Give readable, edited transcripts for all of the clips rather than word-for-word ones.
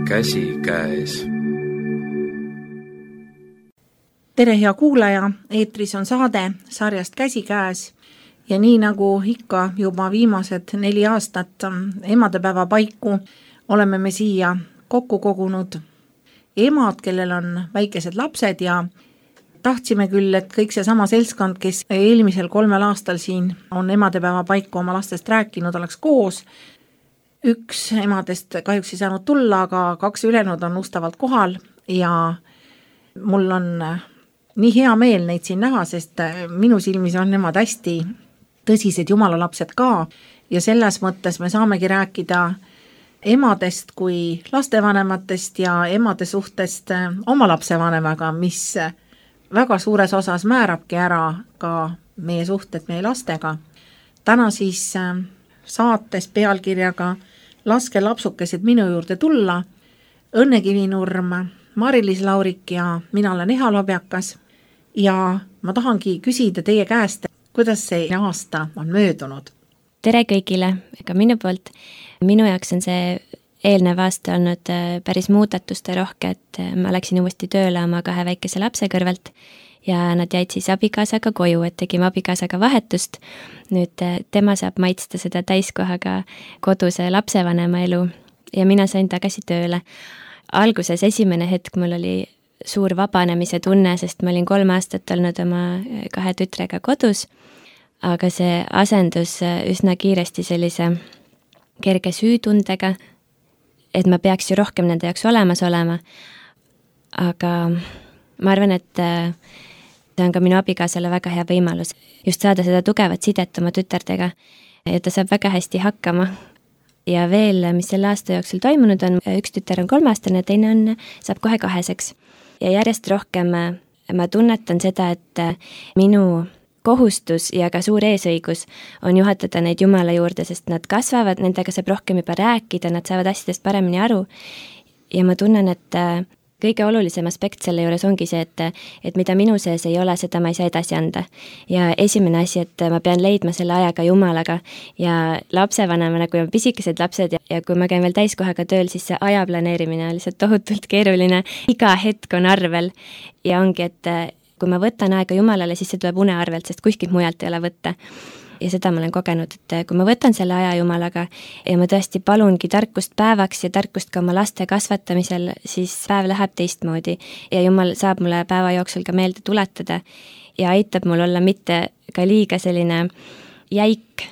käsikäes. Tere, hea kuulaja, eetris on saade sarjast Käsikäes ja nii nagu ikka juba viimased 4 aastat emadepäeva paiku oleme me siia kokku kogunud emad, kellel on väikesed lapsed ja tahtsime küll, et kõik see sama seltskond, kes eelmisel 3 aastal siin on emadepäeva paiku oma lastest rääkinud, oleks koos. Üks emadest kahjuks ei saanud tulla, aga 2 ülejäänud on ustavalt kohal ja mul on nii hea meel neid siin näha, sest minu silmis on nemad hästi tõsised jumalalapsed ka ja selles mõttes me saamegi rääkida emadest kui lastevanematest ja emade suhtest oma lapsevanemaga, mis väga suures osas määrabki ära ka meie suhted meie lastega. Täna siis saates pealkirjaga Laske lapsukesed minu juurde tulla, Õnne Kivinurm, Mari-Liis Laurik ja mina olen Eha Lobjakas ja ma tahangi küsida teie käest, kuidas see aasta on möödunud? Tere kõigile, ka minu poolt. Minu jaoks on see eelnev aasta olnud päris muudatuste rohke, et ma läksin uuesti tööle oma 2 väikese lapse kõrvalt ja nad jäid siis abikaasaga koju, et tegime abikaasaga vahetust. Nüüd tema saab maitsta seda täiskohaga koduse lapsevanema elu ja mina sain tagasi tööle. Alguses esimene hetk mul oli suur vabanemise tunne, sest ma olin 3 aastat olnud oma 2 tütrega kodus, aga see asendus üsna kiiresti sellise kerge süütundega, et ma peaks ju rohkem nende jaoks olemas olema. Aga ma arvan, et see on ka minu abikaasale väga hea võimalus just saada seda tugevat sidet oma tütardega ja ta saab väga hästi hakkama. Ja veel, mis selle aasta jooksul toimunud on, üks tütar on 3-aastane, teine saab kohe 2-seks. Ja järjest rohkem ma tunnetan seda, et minu kohustus ja ka suur eesõigus on juhatada neid Jumala juurde, sest nad kasvavad, nendega saab rohkem juba rääkida, nad saavad asjadest paremini aru. Ja ma tunnen, et kõige olulisem aspekt selle juures ongi see, et mida minu sees ei ole, seda ma ei saa edasi anda. Ja esimene asi, et ma pean leidma selle ajaga Jumalaga ja lapsevanemana, kui on pisikesed lapsed ja kui ma käin veel täiskohaga tööl, siis see aja planeerimine on lihtsalt tohutult keeruline. Iga hetk on arvel ja ongi, et kui ma võtan aega Jumalale, siis see tuleb une arvelt, sest kuskilt mujalt ei ole võtta. Ja seda ma olen kogenud, et kui ma võtan selle aja Jumalaga ja ma tõesti palungi tarkust päevaks ja tarkust ka oma laste kasvatamisel, siis päev läheb teistmoodi ja Jumal saab mulle päeva jooksul ka meelde tuletada ja aitab mul olla mitte ka liiga selline jäik,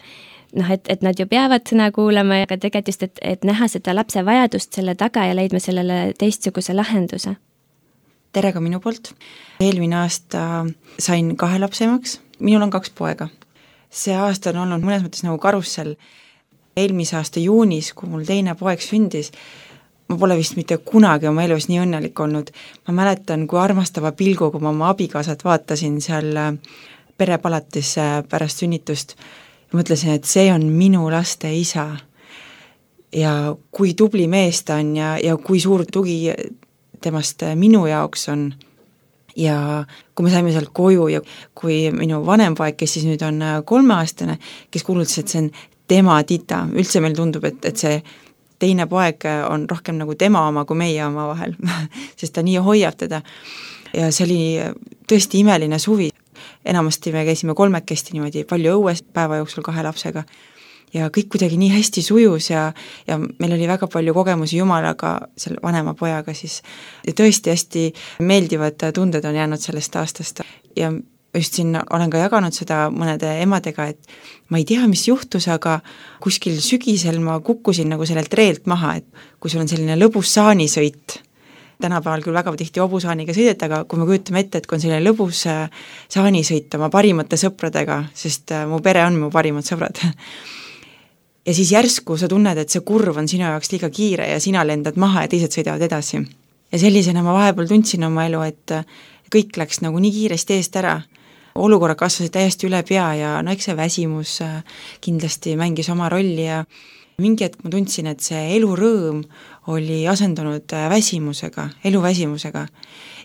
et nad ju peavad sõna kuulama, aga tegelikult just, et näha seda lapse vajadust selle taga ja leidma sellele teistsuguse lahenduse. Tere ka minu poolt. Eelmine aasta sain 2 lapsemaks, minul on 2 poega. See aasta on olnud mõnes mõttes nagu karussel. Eelmise aasta juunis, kui mul teine poeg sündis, ma pole vist mitte kunagi oma elus nii õnnelik olnud. Ma mäletan, kui armastava pilgu, kui ma oma abikaasat vaatasin seal perepalatis pärast sünnitust ja mõtlesin, et see on minu laste isa. Ja kui tubli mees ta on ja kui suur tugi temast minu jaoks on. Ja kui me saime sealt koju ja kui minu vanem poeg, kes siis nüüd on 3-aastane, kes kuulutas, et see on tema tita, üldse meil tundub, et see teine poeg on rohkem nagu tema oma kui meie oma vahel, sest ta nii hoiab teda. Ja see oli tõesti imeline suvi. Enamasti me käisime 3 niimoodi palju õues päeva jooksul 2 lapsega. Ja kõik kuidagi nii hästi sujus ja meil oli väga palju kogemusi Jumalaga, selle vanema pojaga siis. Ja tõesti hästi meeldivad tunded on jäänud sellest aastast. Ja just siin olen ka jaganud seda mõnede emadega, et ma ei tea, mis juhtus, aga kuskil sügisel ma kukkusin nagu sellelt reelt maha, et kui sul on selline lõbus saanisõit, tänapäeval küll väga tihti hobusaaniga sõideta, aga kui me kujutame ette, et kui on selline lõbus saanisõit oma parimate sõpradega, sest mu pere on mu parimad sõbrad, ja siis järsku sa tunned, et see kurv on sinu jaoks liiga kiire ja sina lendad maha ja teised sõidavad edasi. Ja sellisena ma vahepeal tundsin oma elu, et kõik läks nagu nii kiiresti eest ära. Olukorra kasvasid täiesti üle pea ja eks see väsimus kindlasti mängis oma rolli ja mingi hetk ma tundsin, et see elurõõm oli asendunud elu väsimusega.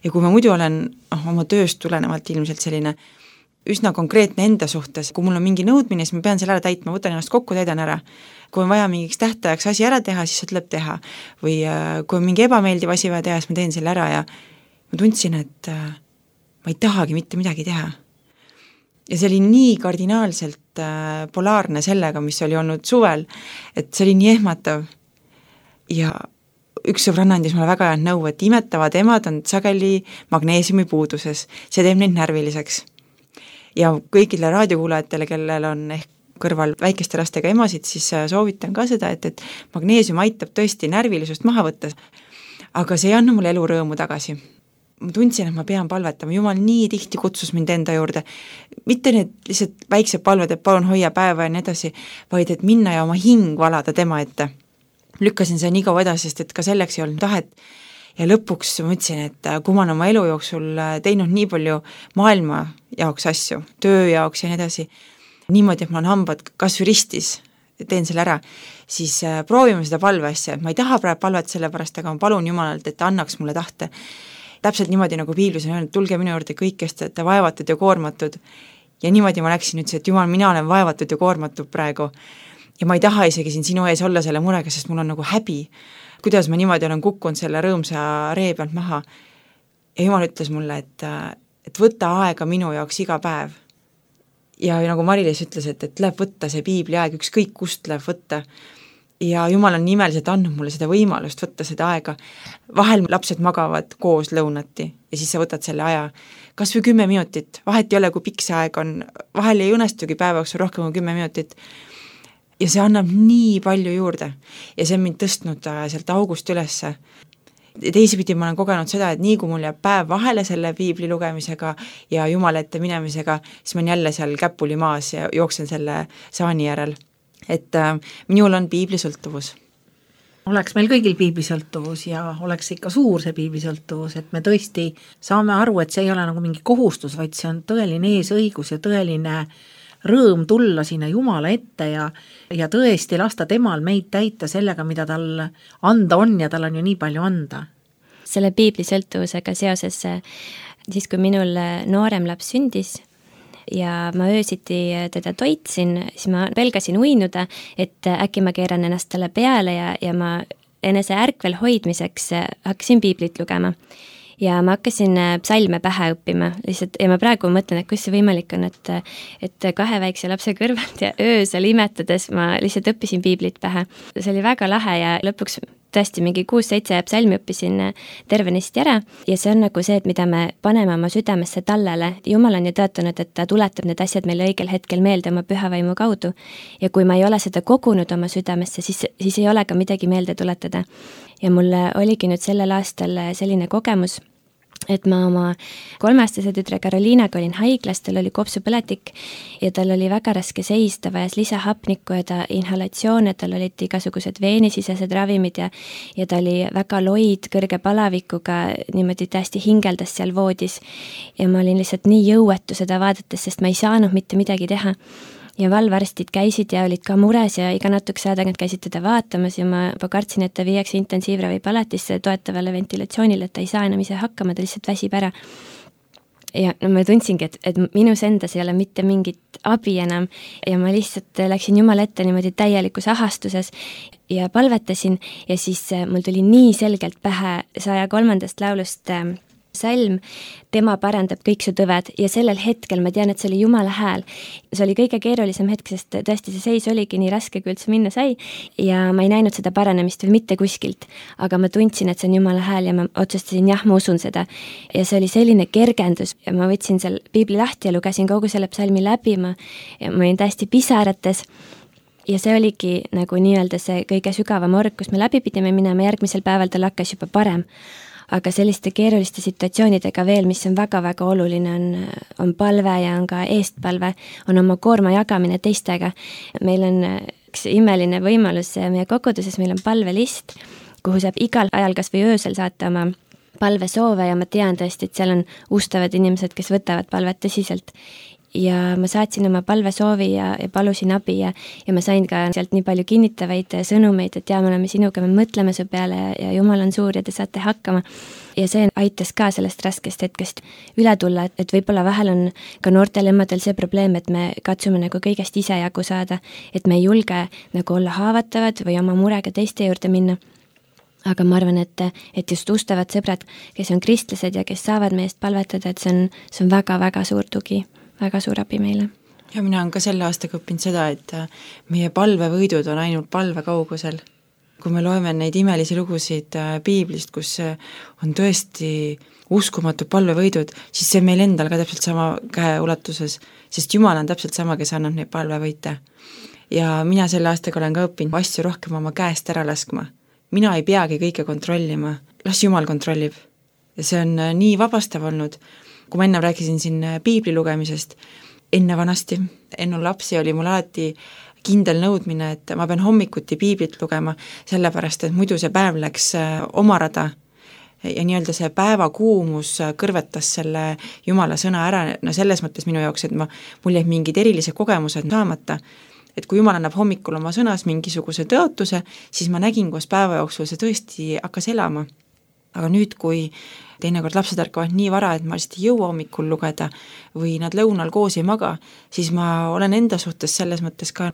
Ja kui ma muidu olen oma tööst tulenevalt ilmselt selline üsna konkreetne enda suhtes, kui mul on mingi nõudmine, siis ma pean selle ära täitma, võtan ennast kokku, täidan ära. Kui on vaja mingiks tähtajaks asi ära teha, siis tuleb teha. Või kui on mingi ebameeldiv asi vaja teha, siis ma teen selle ära ja ma tundsin, et ma ei tahagi mitte midagi teha. Ja see oli nii kardinaalselt polaarne sellega, mis oli olnud suvel, et see oli nii ehmatav. Ja üks sõbranna andis mulle väga head nõu, et imetavad emad on sageli magneesiumi puuduses, see teeb neid närviliseks. Ja kõigile raadiokuulajatele, kellel on ehk kõrval väikeste lastega emasid, siis soovitan ka seda, et magneesium aitab tõesti närvilisust maha võtta, aga see ei anna mulle elu rõõmu tagasi. Ma tundsin, et ma pean palvetama, Jumal nii tihti kutsus mind enda juurde, mitte need lihtsalt väiksed palved, et palun hoia päeva ja nii edasi, vaid et minna ja oma hing valada tema ette. Lükkasin see nii kaua edasi, sest et ka selleks ei olnud tahet ja lõpuks mõtlesin, et kui ma olen oma elu jooksul teinud nii palju maailma jaoks asju, töö jaoks ja nii edasi, niimoodi, et ma olen hambad kas või ristis, teen selle ära, siis proovime seda palveasja, et ma ei taha praegu palvet selle pärast, aga ma palun Jumalalt, et ta annaks mulle tahte. Täpselt niimoodi, nagu Piiblis on öelnud, tulge minu juurde kõik, kes te olete vaevatud ja koormatud. Ja niimoodi ma läksin ütlesin, et Jumal, mina olen vaevatud ja koormatud praegu. Ja ma ei taha isegi siin sinu ees olla selle murega, sest mul on nagu häbi, kuidas ma niimoodi olen kukkunud selle rõõmsa ree pealt maha. Ja Jumal ütles mulle, et võta aega minu jaoks iga päev. Ja nagu Mari-Liis ütles, et läheb võtta see piibli aeg, ükskõik kust läheb võtta. Ja Jumal on nimeliselt andnud mulle seda võimalust võtta seda aega. Vahel lapsed magavad koos lõunati ja siis sa võtad selle aja. Kas või 10 minutit, vahet ei ole, kui pikk see aeg on, vahel ei õnnestugi päevaks rohkem kui 10 minutit. Ja see annab nii palju juurde ja see on mind tõstnud sealt august ülesse. Teisipidi ma olen kogenud seda, et nii kui mul jääb päev vahele selle piibli lugemisega ja Jumala ette minemisega, siis ma olen jälle seal käpuli maas ja jooksen selle saani järel. Et minul on piiblisõltuvus. Oleks meil kõigil piiblisõltuvus ja oleks ikka suur see piiblisõltuvus, et me tõesti saame aru, et see ei ole nagu mingi kohustus, vaid see on tõeline eesõigus ja tõeline rõõm tulla sinna Jumala ette ja tõesti lasta temal meid täita sellega, mida tal anda on ja tal on ju nii palju anda. Selle piiblisõltuvusega seoses, siis kui minul noorem laps sündis ja ma öösiti teda toitsin, siis ma pelgasin uinuda, et äkki ma keeran ennast talle peale ja ma enese ärkvel hoidmiseks hakkasin piiblit lugema. Ja ma hakkasin psalme pähe õppima lihtsalt, ja ma praegu mõtlen, et kus see võimalik on, et 2 väikse lapse kõrvalt ja öösel imetades ma lihtsalt õppisin piiblit pähe. See oli väga lahe ja lõpuks tõesti mingi 6-7 psalmi õppisin tervenisti ära ja see on nagu see, et mida me paneme oma südamesse tallele. Jumal on ju tõotanud, et ta tuletab need asjad meile õigel hetkel meelde oma pühavaimu kaudu ja kui ma ei ole seda kogunud oma südamesse, siis ei ole ka midagi meelde tuletada. Ja mulle oligi nüüd sellel aastal selline kogemus, et ma oma 3-aastase tütre Karoliinaga olin haiglas, tal oli kopsupõletik ja tal oli väga raske seis, ta vajas lisahapnikku ja ta inhalatsioone, tal olid igasugused veenisisesed ravimid ja ta oli väga loid kõrge palavikuga, niimoodi täiesti hingeldas seal voodis ja ma olin lihtsalt nii jõuetu seda vaadates, sest ma ei saanud mitte midagi teha. Ja valvarstid käisid ja olid ka mures ja iga natukese aja tagant käisid teda vaatamas ja ma kartsin, et ta viiakse intensiivravipalatisse toetavale ventilatsioonile, et ta ei saa enam ise hakkama, ta lihtsalt väsib ära. Ja no ma tundsingi, et minus endas ei ole mitte mingit abi enam ja ma lihtsalt läksin Jumala ette niimoodi täielikus ahastuses ja palvetasin ja siis mul tuli nii selgelt pähe 103. laulust salm, tema parandab kõik su tõved ja sellel hetkel ma tean, et see oli Jumala hääl. See oli kõige keerulisem hetk, sest tõesti see seis oligi nii raske, kui üldse minna sai ja ma ei näinud seda paranemist veel mitte kuskilt, aga ma tundsin, et see on Jumala hääl ja ma otsustasin, jah, ma usun seda. Ja see oli selline kergendus ja ma võtsin seal piibli lahti ja lugesin kogu selle psalmi läbi, ma olin täiesti pisarates ja see oligi nagu nii-öelda see kõige sügavam org, kus me läbi pidime minema, järgmisel päeval tal hakkas juba parem. Aga selliste keeruliste situatsioonidega veel, mis on väga-väga oluline, on palve ja on ka eestpalve, on oma koorma jagamine teistega. Meil on üks imeline võimalus meie koguduses, meil on palvelist, kuhu saab igal ajal kas või öösel saata oma palvesoove ja ma tean tõesti, et seal on ustavad inimesed, kes võtavad palvet tõsiselt. ja ma saatsin oma palvesoovi ja palusin abi ja ma sain ka sealt nii palju kinnitavaid sõnumeid, et me oleme sinuga, me mõtleme su peale ja Jumal on suur ja te saate hakkama. Ja see aitas ka sellest raskest hetkest üle tulla, et võib-olla vahel on ka noortel emadel see probleem, et me katsume nagu kõigest ise jagu saada, et me ei julge nagu olla haavatavad või oma murega teiste juurde minna. Aga ma arvan, et just ustavad sõbrad, kes on kristlased ja kes saavad meest palvetada, et see on väga-väga suur tugi, väga suur abi meile. Ja mina olen ka selle aastaga õppinud seda, et meie palvevõidud on ainult palve kaugusel. Kui me loeme neid imelisi lugusid piiblist, kus on tõesti uskumatud palvevõidud, siis see meil endal ka täpselt sama käeulatuses, sest Jumal on täpselt sama, kes annab neid palvevõite. Ja mina selle aastaga olen ka õppinud asju rohkem oma käest ära laskma. Mina ei peagi kõike kontrollima, las Jumal kontrollib. Ja see on nii vabastav olnud. Kui ma enne rääkisin siin piibli lugemisest, enne vanasti, enne lapsi oli mul alati kindel nõudmine, et ma pean hommikuti piiblit lugema, sellepärast, et muidu see päev läks omarada ja nii-öelda see päevakuumus kõrvetas selle Jumala sõna ära, no selles mõttes minu jaoks, et mul jäid mingid erilised kogemused saamata, et kui Jumal annab hommikul oma sõnas mingisuguse tõotuse, siis ma nägin, kus päeva jooksul see tõesti hakkas elama. Aga nüüd, kui teinekord lapsed ärkavad nii vara, et ma lihtsalt ei jõua hommikul lugeda või nad lõunal koos ei maga, siis ma olen enda suhtes selles mõttes ka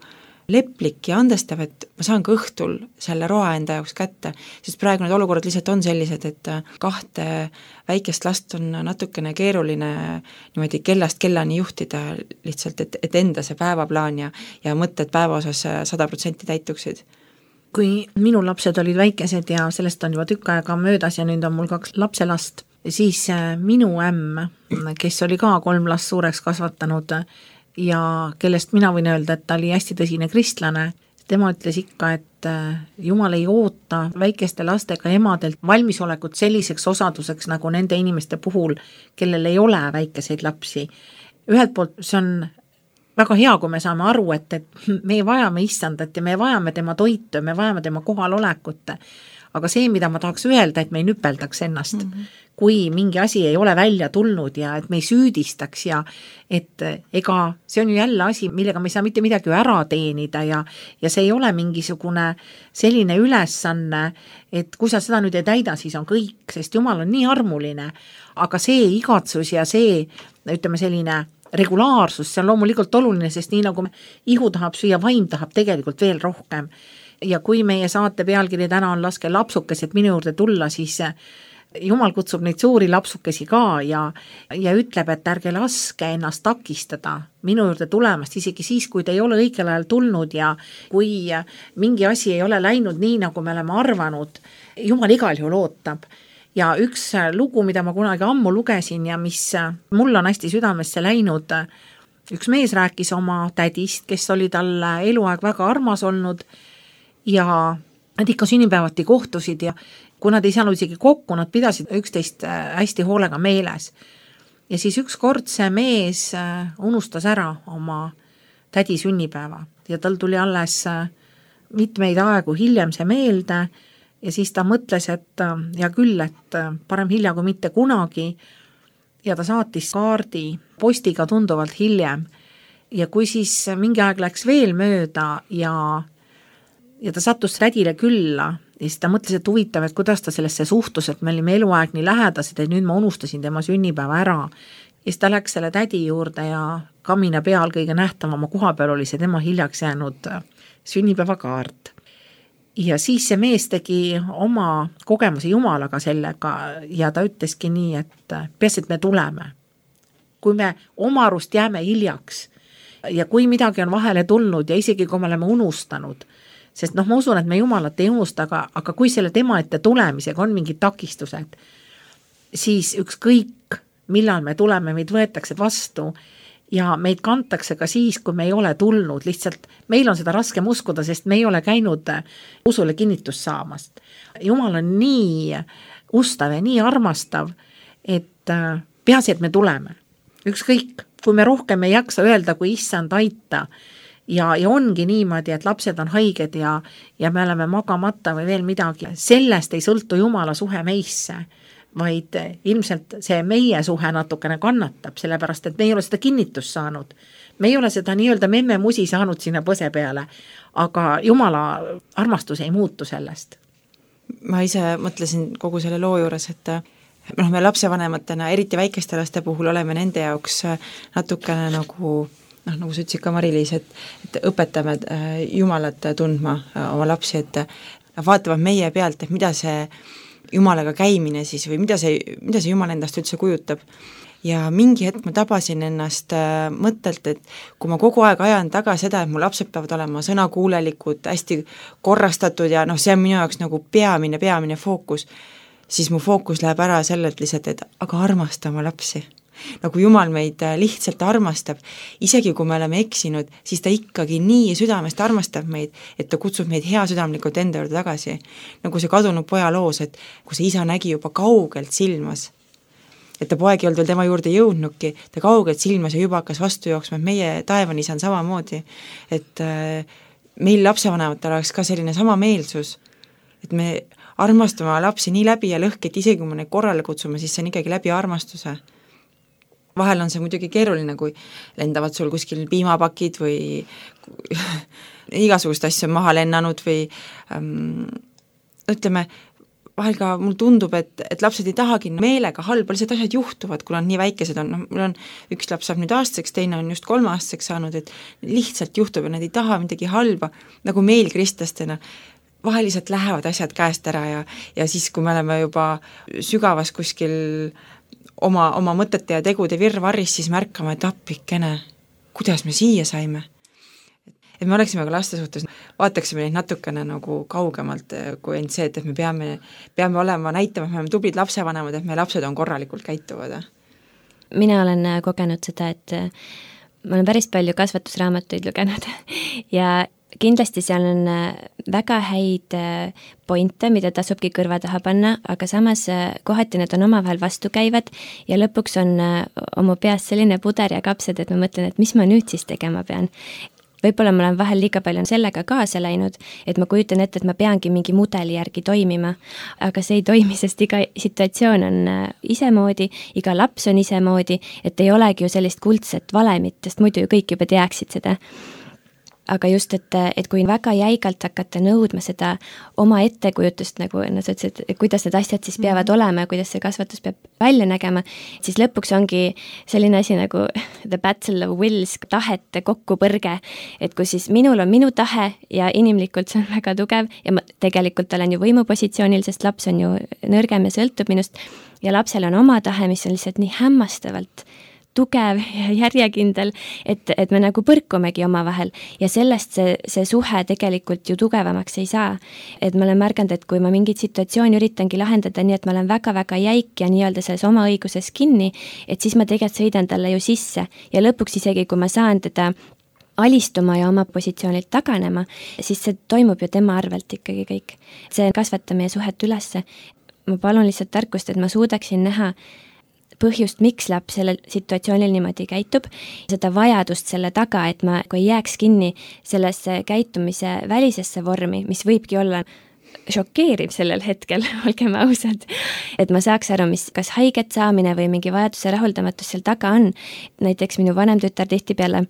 leplik ja andestav, et ma saan ka õhtul selle roa enda jaoks kätte, sest praegu need olukorrad lihtsalt on sellised, et 2 väikest last on natukene keeruline niimoodi kellast kellani juhtida lihtsalt, et enda see päevaplaan ja mõtted päeva osas 100% täituksid. Kui minu lapsed olid väikesed ja sellest on juba tükk aega möödas ja nüüd on mul 2 lapselast, siis minu ämm, kes oli ka 3 last suureks kasvatanud ja kellest mina võin öelda, et ta oli hästi tõsine kristlane, tema ütles ikka, et Jumal ei oota väikeste lastega emadelt valmisolekut selliseks osaduseks nagu nende inimeste puhul, kellel ei ole väikeseid lapsi. Ühelt poolt see on väga hea, kui me saame aru, et me vajame issandat ja me vajame tema toitu, me vajame tema kohalolekut. Aga see, mida ma tahaks öelda, et me ei nüpeldaks ennast, kui mingi asi ei ole välja tulnud ja et me ei süüdistaks ja et ega see on ju jälle asi, millega me ei saa mitte midagi ära teenida ja see ei ole mingisugune selline ülesanne, et kui sa seda nüüd ei täida, siis on kõik, sest Jumal on nii armuline, aga see igatsus ja see, ütleme selline regulaarsus, see on loomulikult oluline, sest nii nagu ihu tahab süüa, vaim tahab tegelikult veel rohkem. Ja kui meie saate pealkiri täna on laske lapsukesed minu juurde tulla, siis Jumal kutsub neid suuri lapsukesi ka ja ütleb, et ärge laske ennast takistada minu juurde tulemast, isegi siis, kui te ei ole õigel ajal tulnud ja kui mingi asi ei ole läinud nii, nagu me oleme arvanud, Jumal igal juhul ootab. Ja üks lugu, mida ma kunagi ammu lugesin ja mis mul on hästi südamesse läinud, üks mees rääkis oma tädist, kes oli talle eluaeg väga armas olnud ja nad ikka sünnipäevati kohtusid ja kui nad ei saanud isegi kokku, nad pidasid üksteist hästi hoolega meeles. Ja siis üks kord see mees unustas ära oma tädi sünnipäeva ja tal tuli alles mitmeid aegu hiljem see meelde ja siis ta mõtles, et ja küll, et parem hilja kui mitte kunagi ja ta saatis kaardi postiga tunduvalt hiljem ja kui siis mingi aeg läks veel mööda ja ta sattus tädile külla ja siis ta mõtles, et huvitav, et kuidas ta sellesse suhtus, et me olime eluaeg nii lähedased, et nüüd ma unustasin tema sünnipäeva ära ja siis ta läks selle tädi juurde ja kamina peal kõige nähtavama koha peal oli see tema hiljaks jäänud sünnipäevakaart. Ja siis see mees tegi oma kogemuse Jumalaga sellega ja ta ütleski nii, et peas, et me tuleme. Kui me oma arust jääme hiljaks ja kui midagi on vahele tulnud ja isegi kui me oleme unustanud, sest ma usun, et me Jumalat ei unusta, aga kui selle tema ette tulemisega on mingid takistused, siis ükskõik, millal me tuleme, meid võetakse vastu ja meid kantakse ka siis, kui me ei ole tulnud, lihtsalt meil on seda raskem uskuda, sest me ei ole käinud usule kinnitust saamast. Jumal on nii ustav ja nii armastav, et peaasi, et me tuleme. Ükskõik, kui me rohkem ei jaksa öelda, kui issand aita ja ongi niimoodi, et lapsed on haiged ja me oleme magamata või veel midagi. Sellest ei sõltu Jumala suhe meisse, vaid ilmselt see meie suhe natukene kannatab, sellepärast et me ei ole seda kinnitust saanud. Me ei ole seda nii-öelda memme-musi saanud sinna põse peale, aga Jumala armastus ei muutu sellest. Ma ise mõtlesin kogu selle loo juures, et me lapsevanematena, eriti väikeste laste puhul oleme nende jaoks natukene nagu sa ütlesid ka Mari-Liis, et õpetame Jumalat tundma oma lapsi, et vaatavad meie pealt, et mida see Jumalaga käimine siis või mida see Jumal endast üldse kujutab. Ja mingi hetk ma tabasin ennast mõttelt, et kui ma kogu aeg ajan taga seda, et mu lapsed peavad olema sõnakuulelikud, hästi korrastatud ja see on minu jaoks nagu peamine fookus, siis mu fookus läheb ära sellelt lihtsalt, et aga armasta oma lapsi. Nagu Jumal meid lihtsalt armastab, isegi kui me oleme eksinud, siis ta ikkagi nii südamest armastab meid, et ta kutsub meid heasüdamlikult enda juurde tagasi. Nagu see kadunud poja loos, et kui see isa nägi juba kaugelt silmas, et ta poeg ei olnud veel tema juurde jõudnudki, ta kaugelt silmas ja juba hakkas vastu jooksma, et meie taevani on samamoodi, et meil lapsevanematel oleks ka selline sama meelsus, et me armastame lapsi nii läbi ja lõhki, et isegi kui me neid korrale kutsume, siis see on ikkagi läbi armastuse. Vahel on see muidugi keeruline, kui lendavad sul kuskil piimapakid või igasugust asju on maha lennanud või ütleme, vahel ka mul tundub, et lapsed ei tahagi meelega halba, lihtsalt asjad juhtuvad, kui on nii väikesed on, mul on üks laps saab nüüd aastaseks, teine on just 3-aastaseks saanud, et lihtsalt juhtub ja nad ei taha midagi halba, nagu meil kristlastena, vahel lihtsalt lähevad asjad käest ära ja siis, kui me oleme juba sügavas kuskil oma mõtete ja tegude virvarris, siis märkame, et appikene, kuidas me siia saime. Et me oleksime ka laste suhtes, vaataksime neid natukene nagu kaugemalt kui end see, et me peame olema, näitama, et me oleme tublid lapsevanemad, et meie lapsed on korralikult käituvad. Mina olen kogenud seda, et ma olen päris palju kasvatusraamatuid lugenud ja kindlasti seal on väga häid pointe, mida tasubki kõrva taha panna, aga samas kohati need on omavahel vastukäivad ja lõpuks on oma peas selline puder ja kapsad, et ma mõtlen, et mis ma nüüd siis tegema pean. Võib-olla ma olen vahel liiga palju sellega kaasa läinud, et ma kujutan ette, et ma peangi mingi mudeli järgi toimima, aga see ei toimi, sest iga situatsioon on isemoodi, iga laps on isemoodi, et ei olegi ju sellist kuldset valemit, sest muidu ju kõik juba teaksid seda. Aga just, et kui väga jäigalt hakata nõudma seda oma ettekujutust, nagu sa ütlesid, et kuidas need asjad siis peavad olema ja kuidas see kasvatus peab välja nägema, siis lõpuks ongi selline asi nagu the battle of wills, tahete kokkupõrge, et kui siis minul on minu tahe ja inimlikult see on väga tugev ja ma tegelikult olen ju võimupositsioonil, sest laps on ju nõrgem ja sõltub minust ja lapsel on oma tahe, mis on lihtsalt nii hämmastavalt tugev ja järjekindel, et me nagu põrkumegi omavahel ja sellest see suhe tegelikult ju tugevamaks ei saa. Et ma olen märganud, et kui ma mingit situatsiooni üritangi lahendada nii, et ma olen väga-väga jäik ja nii-öelda selles oma õiguses kinni, et siis ma tegelikult sõidan talle ju sisse ja lõpuks isegi, kui ma saan teda alistuma ja oma positsioonilt taganema, siis see toimub ju tema arvelt ikkagi kõik. See kasvatab meie suhet ülesse. Ma palun lihtsalt tarkust, et ma suudaksin näha põhjust, miks laps sellel situatsioonil niimoodi käitub, seda vajadust selle taga, et ma kui ei jääks kinni sellesse käitumise välisesse vormi, mis võibki olla šokeeriv sellel hetkel, olgem ausad, et ma saaks aru, mis kas haiget saamine või mingi vajaduse rahuldamatus seal taga on. Näiteks minu vanem tütar tihtipeale,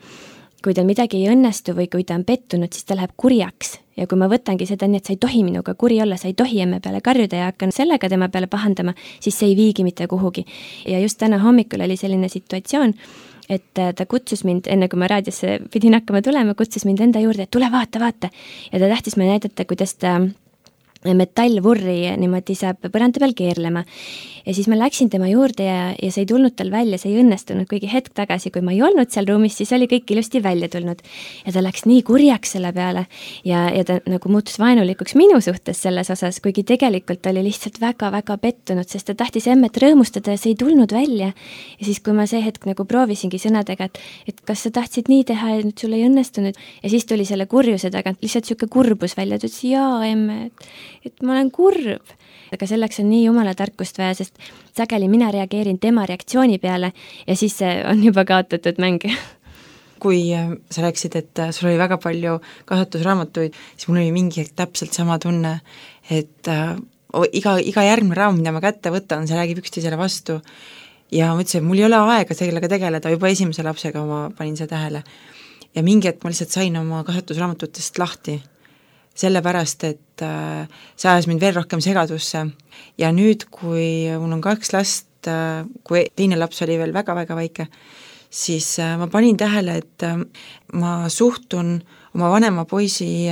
kui tal midagi ei õnnestu või kui ta on pettunud, siis ta läheb kurjaks ja kui ma võtangi seda nii, et sa ei tohi minuga kuri olla, sa ei tohi emme peale karjuda ja hakkan sellega tema peale pahandama, siis see ei viigi mitte kuhugi. Ja just täna hommikul oli selline situatsioon, et ta kutsus mind, enne kui ma raadiosse pidin hakkama tulema, kutsus mind enda juurde, et tule vaata. Ja ta tahtis me näidata, kuidas ta metallvurri niimoodi saab põranda peal keerlema. Ja siis ma läksin tema juurde ja see ei tulnud tal välja, see ei õnnestunud, kuigi hetk tagasi, kui ma ei olnud seal ruumis, siis oli kõik ilusti välja tulnud. Ja ta läks nii kurjaks selle peale ja ta nagu muutus vaenulikuks minu suhtes selles osas, kuigi tegelikult oli lihtsalt väga-väga pettunud, sest ta tahtis emmet rõõmustada ja see ei tulnud välja. Ja siis, kui ma see hetk nagu proovisingi sõnadega, et kas sa tahtsid nii teha ja nüüd sul ei õnnestunud, ja siis tuli selle kurjuse tagant lihtsalt siuke kurbus välja, ta ütles, jaa, emme, et ma olen kurb. Aga selleks on nii jumala tarkust vaja, sest sageli mina reageerin tema reaktsiooni peale ja siis on juba kaotatud mäng. Kui sa rääkisid, et sul oli väga palju kasvatusraamatuid, siis mul oli mingi täpselt sama tunne, et iga järgmine raamat, mida ma kätte võtan, see räägib üksteisele vastu ja ma ütlesin, et mul ei ole aega sellega tegeleda, juba esimese lapsega ma panin seda tähele. Ja mingi hetk ma lihtsalt sain oma kasvatusraamatutest lahti, sellepärast, et see ajas mind veel rohkem segadusse ja nüüd, kui mul on 2 last, kui teine laps oli veel väga-väga väike, siis ma panin tähele, et ma suhtun oma vanema poisi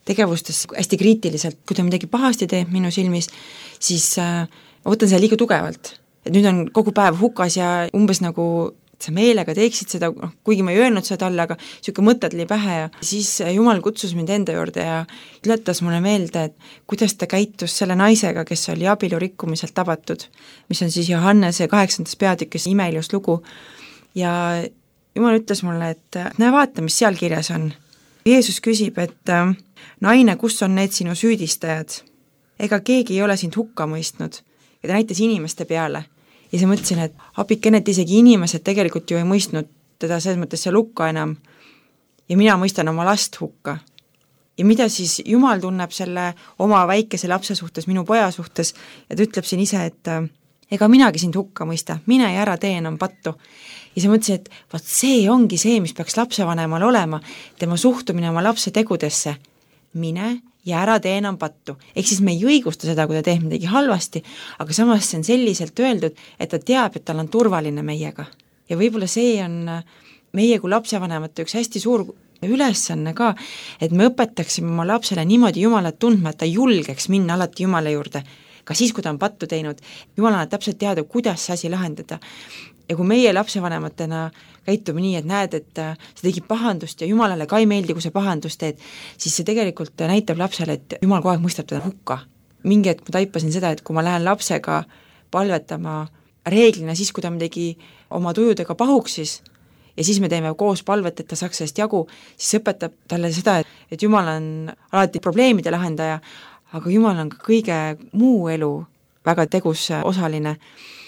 tegevustes hästi kriitiliselt, kui ta midagi pahasti teeb minu silmis, siis ma võtan seda liiga tugevalt, et nüüd on kogu päev hukas ja umbes nagu sa meelega teeksid seda, kuigi ma ei öelnud seda talle, aga niisugune mõte tuli pähe ja siis Jumal kutsus mind enda juurde ja tuletas mulle meelde, et kuidas ta käitus selle naisega, kes oli abielu rikkumiselt tabatud, mis on siis Johannese 8. peatükis imeilus lugu ja Jumal ütles mulle, et näe vaata, mis seal kirjas on. Jeesus küsib, et naine, kus on need sinu süüdistajad? Ega keegi ei ole sind hukka mõistnud ja ta näitas inimeste peale. Ja siis mõtlesin, et apikene, et isegi inimesed tegelikult ju ei mõistnud teda selles mõttes seal hukka enam ja mina mõistan oma last hukka. Ja mida siis Jumal tunneb selle oma väikese lapse suhtes, minu poja suhtes ja ta ütleb siin ise, et ega minagi sind hukka mõista, mine ja ära tee enam pattu. Ja siis mõtlesin, et vaat see ongi see, mis peaks lapsevanemal olema, tema suhtumine oma lapse tegudesse. Mine ja ära tee enam pattu. Ehk siis me ei õigusta seda, kui ta teeb midagi halvasti, aga samas see on selliselt öeldud, et ta teab, et tal on turvaline meiega. Ja võib-olla see on meie kui lapsevanemate üks hästi suur ülesanne ka, et me õpetaksime oma lapsele niimoodi Jumalat tundma, et ta julgeks minna alati Jumala juurde, ka siis, kui ta on pattu teinud. Jumal annab täpselt teada, kuidas see asi lahendada. Ja kui meie lapsevanematena käitume nii, et näed, et see tegi pahandust ja Jumalale ka ei meeldi, kui see pahandust teed, siis see tegelikult näitab lapsele, et Jumal kogu aeg mõistab teda hukka. Mingi hetk ma taipasin seda, et kui ma lähen lapsega palvetama reeglina siis, kui ta midagi oma tujudega pahuksis ja siis me teeme koos palvet, et ta saaks sellest jagu, siis õpetab talle seda, et Jumal on alati probleemide lahendaja, aga Jumal on ka kõige muu elu väga tegus osaline.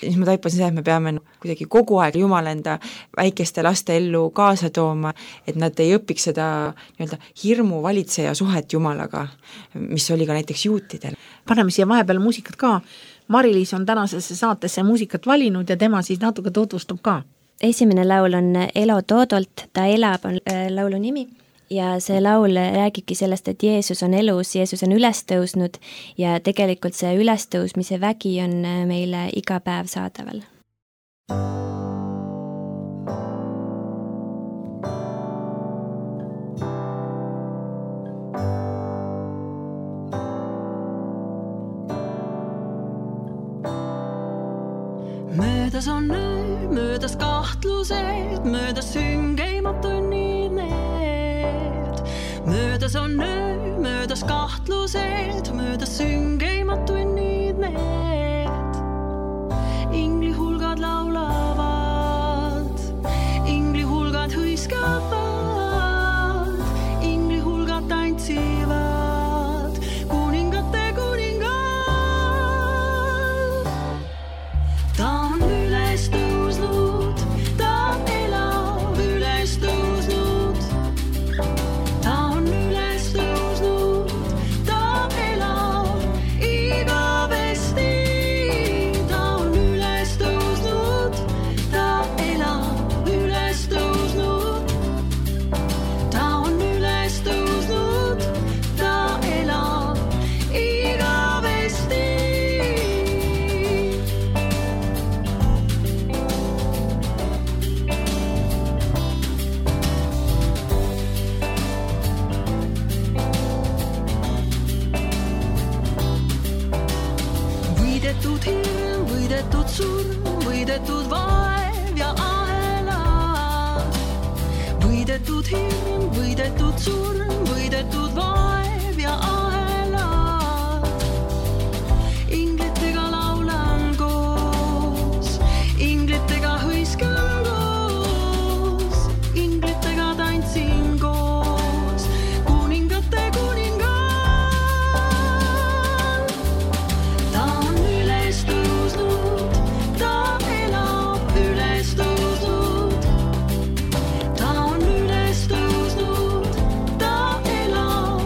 Siis ma taipasin seda, et me peame kuidagi kogu aeg Jumala enda väikeste laste ellu kaasa tooma, et nad ei õpiks seda nii-öelda hirmu valitseja suhet Jumalaga, mis oli ka näiteks juutidel. Paneme siia vahepeal muusikat ka. Mari-Liis on tänasesse saatesse muusikat valinud ja tema siis natuke tutvustab ka. Esimene laul on Elo Toodolt, Ta elab on laulu nimi. Ja see laul räägibki sellest, et Jeesus on elus, Jeesus on üles tõusnud ja tegelikult see ülestõusmise vägi on meile iga päev saadaval. Möödas on öö, möödas kahtlused, möödas süngeimatu nii need. Möödas on öö, möödas kahtlused, möödas süngeimatu nii need. Ingli hulgad laulavad, ingli hulgad hõiskavad, ingli hulgad tantsivad, kuningate kuningal. Ta on üles tõusnud, ta elab üles tõusnud. Ta on üles tõusnud, ta elab igavesti. Ta on üles tõusnud, ta elab üles tõusnud. Ta on üles tõusnud, ta elab igavesti. Võidetud hirm, võidetud surm, võidetud vaev ja ahelad. Võidetud hirm, võidetud surm, võidetud vaev ja ahelad. Inglitega laulan koos, inglitega hõiskan koos, inglitega tantsin koos, kuningate kuningal. Ta on üles tõusnud, ta elab üles tõusnud. Ta on üles tõusnud, ta elab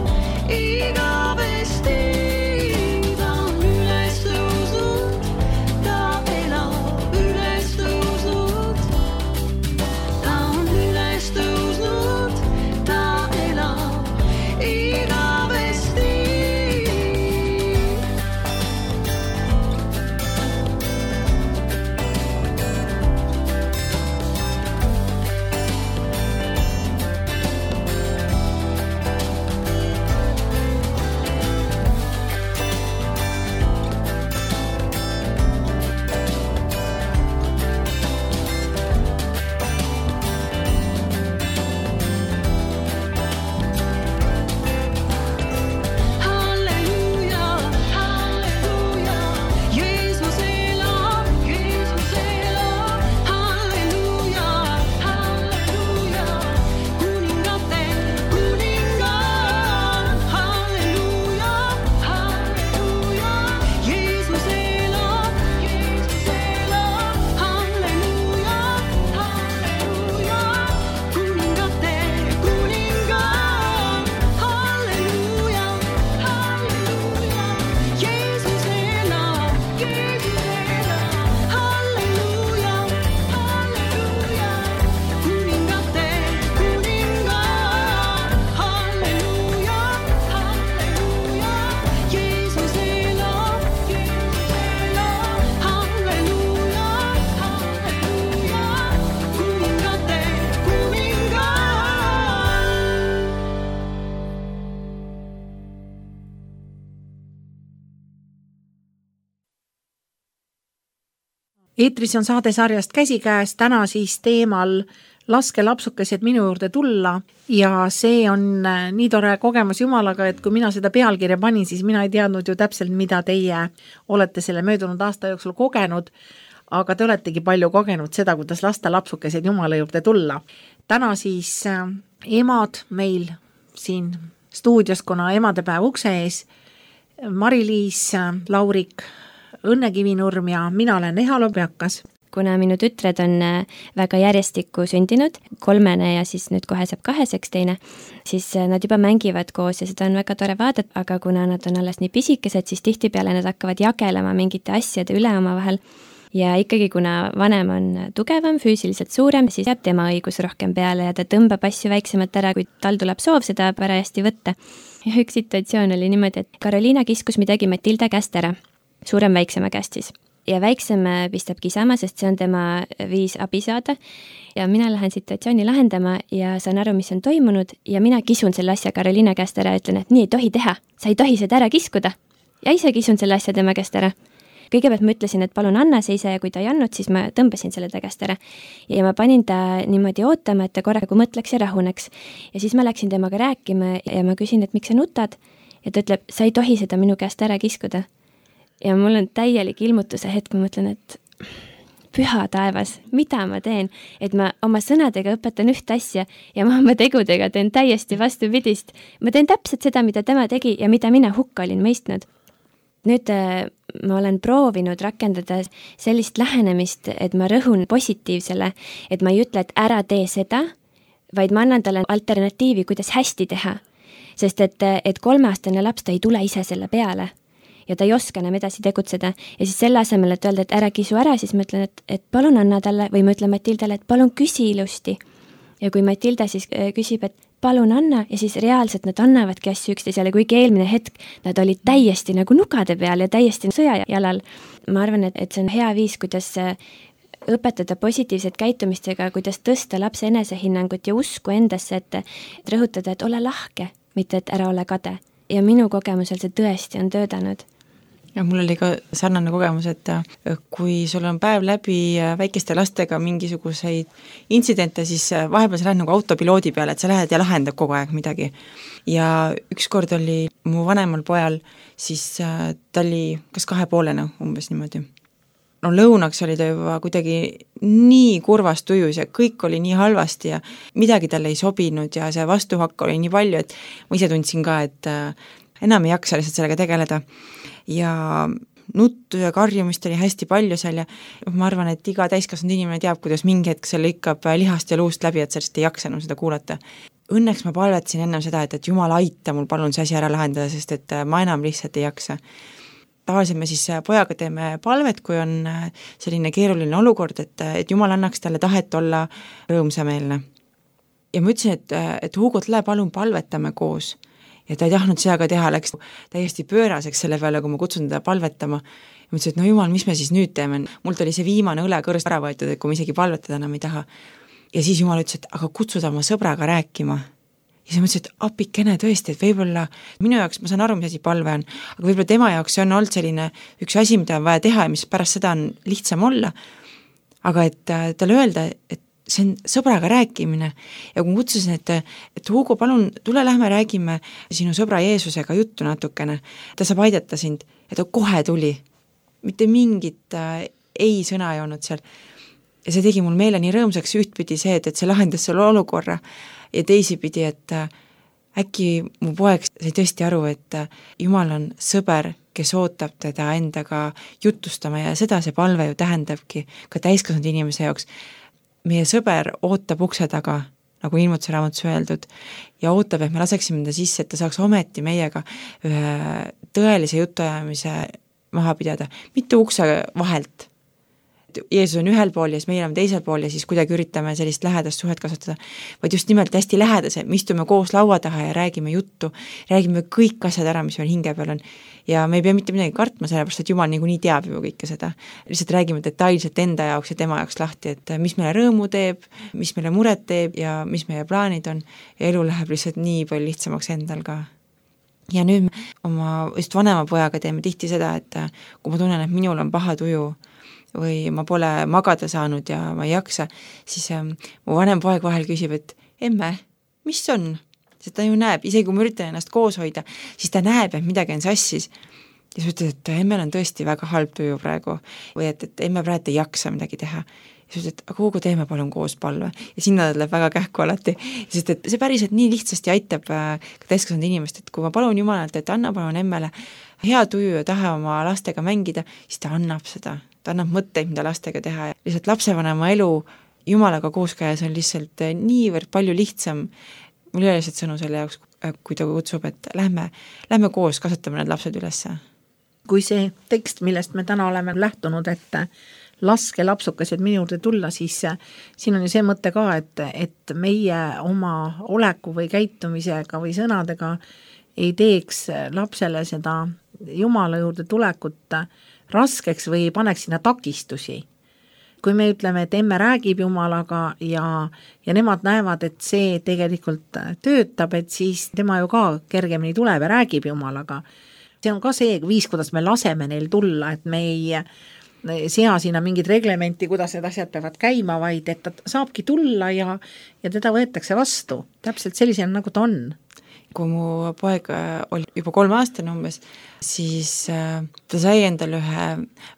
eetris on saade sarjast Käsikäes, täna siis teemal laske lapsukesed minu juurde tulla ja see on nii tore kogemus Jumalaga, et kui mina seda pealkirja panin, siis mina ei teadnud ju täpselt, mida teie olete selle möödunud aasta jooksul kogenud, aga te oletegi palju kogenud seda, kuidas lasta lapsukesed Jumala juurde tulla. Täna siis emad meil siin stuudios, kuna emadepäev ukse ees, Mari-Liis Laurik, Õnne Kivinurm ja mina olen Eha Lobjakas. Kuna minu tütred on väga järjestikku sündinud, 3 ja siis nüüd kohe saab 2 teine, siis nad juba mängivad koos ja seda on väga tore vaadata, aga kuna nad on alles nii pisikesed, siis tihtipeale nad hakkavad jagelema mingite asjade üle omavahel. Ja ikkagi, kuna vanem on tugevam, füüsiliselt suurem, siis jääb tema õigus rohkem peale ja ta tõmbab asju väiksemalt ära, kui tal tuleb soov seda parajasti võtta. Ja üks situatsioon oli niimoodi, et Karoliina kiskus midagi Matilda käest ära, suurem väiksema käest siis. Ja väiksem pistab kisama, sest see on tema viis abi saada. Ja mina lähen situatsiooni lahendama ja saan aru, mis on toimunud ja mina kisun selle asja Karoliina käest ära ja ütlen, et nii ei tohi teha, sa ei tohi seda ära kiskuda. Ja ise kisun selle asja tema käest ära. Kõigepealt ma ütlesin, et palun anna see ise ja kui ta ei andnud, siis ma tõmbasin selle ta käest ära. Ja ma panin ta niimoodi ootama, et ta korraga mõtleks ja rahuneks. Ja siis ma läksin temaga rääkima ja ma küsin, et miks sa nutad? Ja ta ütleb, sa ei tohi seda minu käest ära kiskuda. Ja mul on täielik ilmutuse hetk, ma mõtlen, et püha taevas, mida ma teen? Et ma oma sõnadega õpetan üht asja ja ma oma tegudega teen täiesti vastupidist. Ma teen täpselt seda, mida tema tegi ja mida mina hukka olin mõistnud. Nüüd ma olen proovinud rakendada sellist lähenemist, et ma rõhun positiivsele, et ma ei ütle, et ära tee seda, vaid ma annan talle alternatiivi, kuidas hästi teha. Sest et 3-aastane laps ta ei tule ise selle peale ja ta ei oska enam edasi tegutseda. Ja siis selle asemel, et öelda, et ära kisu ära, siis ma ütlen, et palun anna talle või ma ütlen Matildale, et palun küsi ilusti. Ja kui Matilda siis küsib, et palun anna ja siis reaalselt nad annavadki asju üksteisele, kuigi eelmine hetk nad olid täiesti nagu nugade peal ja täiesti sõjajalal. Ma arvan, et see on hea viis, kuidas õpetada positiivset käitumistega, kuidas tõsta lapse enesehinnangut ja usku endasse, et rõhutada, et ole lahke, mitte et ära ole kade. Ja minu kogemusel see tõesti on töödanud. Ja mul oli ka sarnane kogemus, et kui sul on päev läbi väikeste lastega mingisuguseid intsidente, siis vahepeal sa lähed nagu autopiloodi peale, et sa lähed ja lahendab kogu aeg midagi. Ja ükskord oli mu vanemal pojal, siis ta oli kas 2,5 umbes niimoodi. No lõunaks oli ta juba kuidagi nii kurvas tujus ja kõik oli nii halvasti ja midagi talle ei sobinud ja see vastuhakk oli nii palju, et ma ise tundsin ka, et enam ei jaksa lihtsalt sellega tegeleda. Ja nuttu ja karjumist oli hästi palju seal ja ma arvan, et iga täiskasvanud inimene teab, kuidas mingi hetk see lõikab lihast ja luust läbi, et sellest ei jaksa enam seda kuulata. Õnneks ma palvetasin ennem seda, et Jumal aita mul palun see asi ära lahendada, sest et ma enam lihtsalt ei jaksa. Tavaliselt me siis pojaga teeme palvet, kui on selline keeruline olukord, et Jumal annaks talle tahet olla rõõmsameelne. Ja ma ütlesin, et Hugo, tule palun palvetame koos. Ja ta ei tahtnud seda ka teha, läks täiesti pööraseks selle peale, kui ma kutsun teda palvetama. Ja ma ütlesin, et no Jumal, mis me siis nüüd teeme? Mult oli see viimane õlekõrst ära võetud, et kui ma isegi palvetada enam ei taha. Ja siis Jumal ütles, et aga kutsuda oma sõbraga rääkima. Ja siis ma ütlesin, et apikene tõesti, et võib-olla minu jaoks, ma saan aru, mis asi palve on, aga võib-olla tema jaoks see on olnud selline üks asi, mida on vaja teha ja mis pärast seda on lihtsam olla. Aga et talle öelda, et see on sõbraga rääkimine ja kui ma kutsusin, et Hugo, palun tule lähme räägime sinu sõbra Jeesusega juttu natukene, ta saab aidata sind ja ta kohe tuli, mitte mingit ei sõna ei olnud seal ja see tegi mul meele nii rõõmsaks ühtpidi see, et see lahendas selle olukorra ja teisipidi, et äkki mu poeg sai tõesti aru, et Jumal on sõber, kes ootab teda endaga jutustama ja seda see palve ju tähendabki ka täiskasvanud inimese jaoks. Meie sõber ootab ukse taga, nagu ilmutuse raamatus öeldud, ja ootab, et me laseksime ta sisse, et ta saaks ometi meiega ühe tõelise jutuajamise maha pidada, mitte ukse vahelt. Jeesus on ühel pool ja siis meie oleme teisel pool ja siis kuidagi üritame sellist lähedast suhet kasvatada, vaid just nimelt hästi lähedase, me istume koos laua taha ja räägime juttu, räägime kõik asjad ära, mis meil hinge peal on ja me ei pea mitte midagi kartma, sellepärast et Jumal niikuinii teab ju kõike seda. Lihtsalt räägime detailselt enda jaoks ja tema jaoks lahti, et mis meile rõõmu teeb, mis meile muret teeb ja mis meie plaanid on ja elu läheb lihtsalt nii palju lihtsamaks endal ka. Ja nüüd oma just vanema pojaga teeme tihti seda, et kui ma tunnen, et minul on paha tuju, või ma pole magada saanud ja ma ei jaksa, siis mu vanem poeg vahel küsib, et emme, mis on? Sest ta ju näeb, isegi kui ma üritan ennast koos hoida, siis ta näeb, et midagi on sassis. Ja siis ütled, et emmel on tõesti väga halb tuju praegu või et emme praegu ei jaksa midagi teha. Ja siis ütled, aga kuhu teeme palun koos palve? Ja sinna ta läheb väga kähku alati, sest et see päriselt nii lihtsasti aitab ka täiskasvanud inimest, et kui ma palun Jumalalt, et anna palun emmele hea tuju ja tahe oma lastega mängida, siis ta annab seda. Ta annab mõtteid, mida lastega teha ja lihtsalt lapsevanema elu Jumalaga koos käes on lihtsalt niivõrd palju lihtsam. Mul ei ole lihtsalt sõnu selle jaoks, kui ta kutsub, et lähme koos, kasvatame need lapsed ülesse. Kui see tekst, millest me täna oleme lähtunud, et laske lapsukesed minu juurde tulla, siis siin on ju see mõte ka, et meie oma oleku või käitumisega või sõnadega ei teeks lapsele seda Jumala juurde tulekut raskeks või paneks sinna takistusi. Kui me ütleme, et emme räägib Jumalaga ja nemad näevad, et see tegelikult töötab, et siis tema ju ka kergemini tuleb ja räägib Jumalaga. See on ka see viis, kuidas me laseme neil tulla, et me ei sea sinna mingid reglementi, kuidas need asjad peavad käima, vaid et ta saabki tulla ja teda võetakse vastu. Täpselt sellisena, nagu ta on. Kui mu poeg oli juba 3 aastane umbes, siis ta sai endale ühe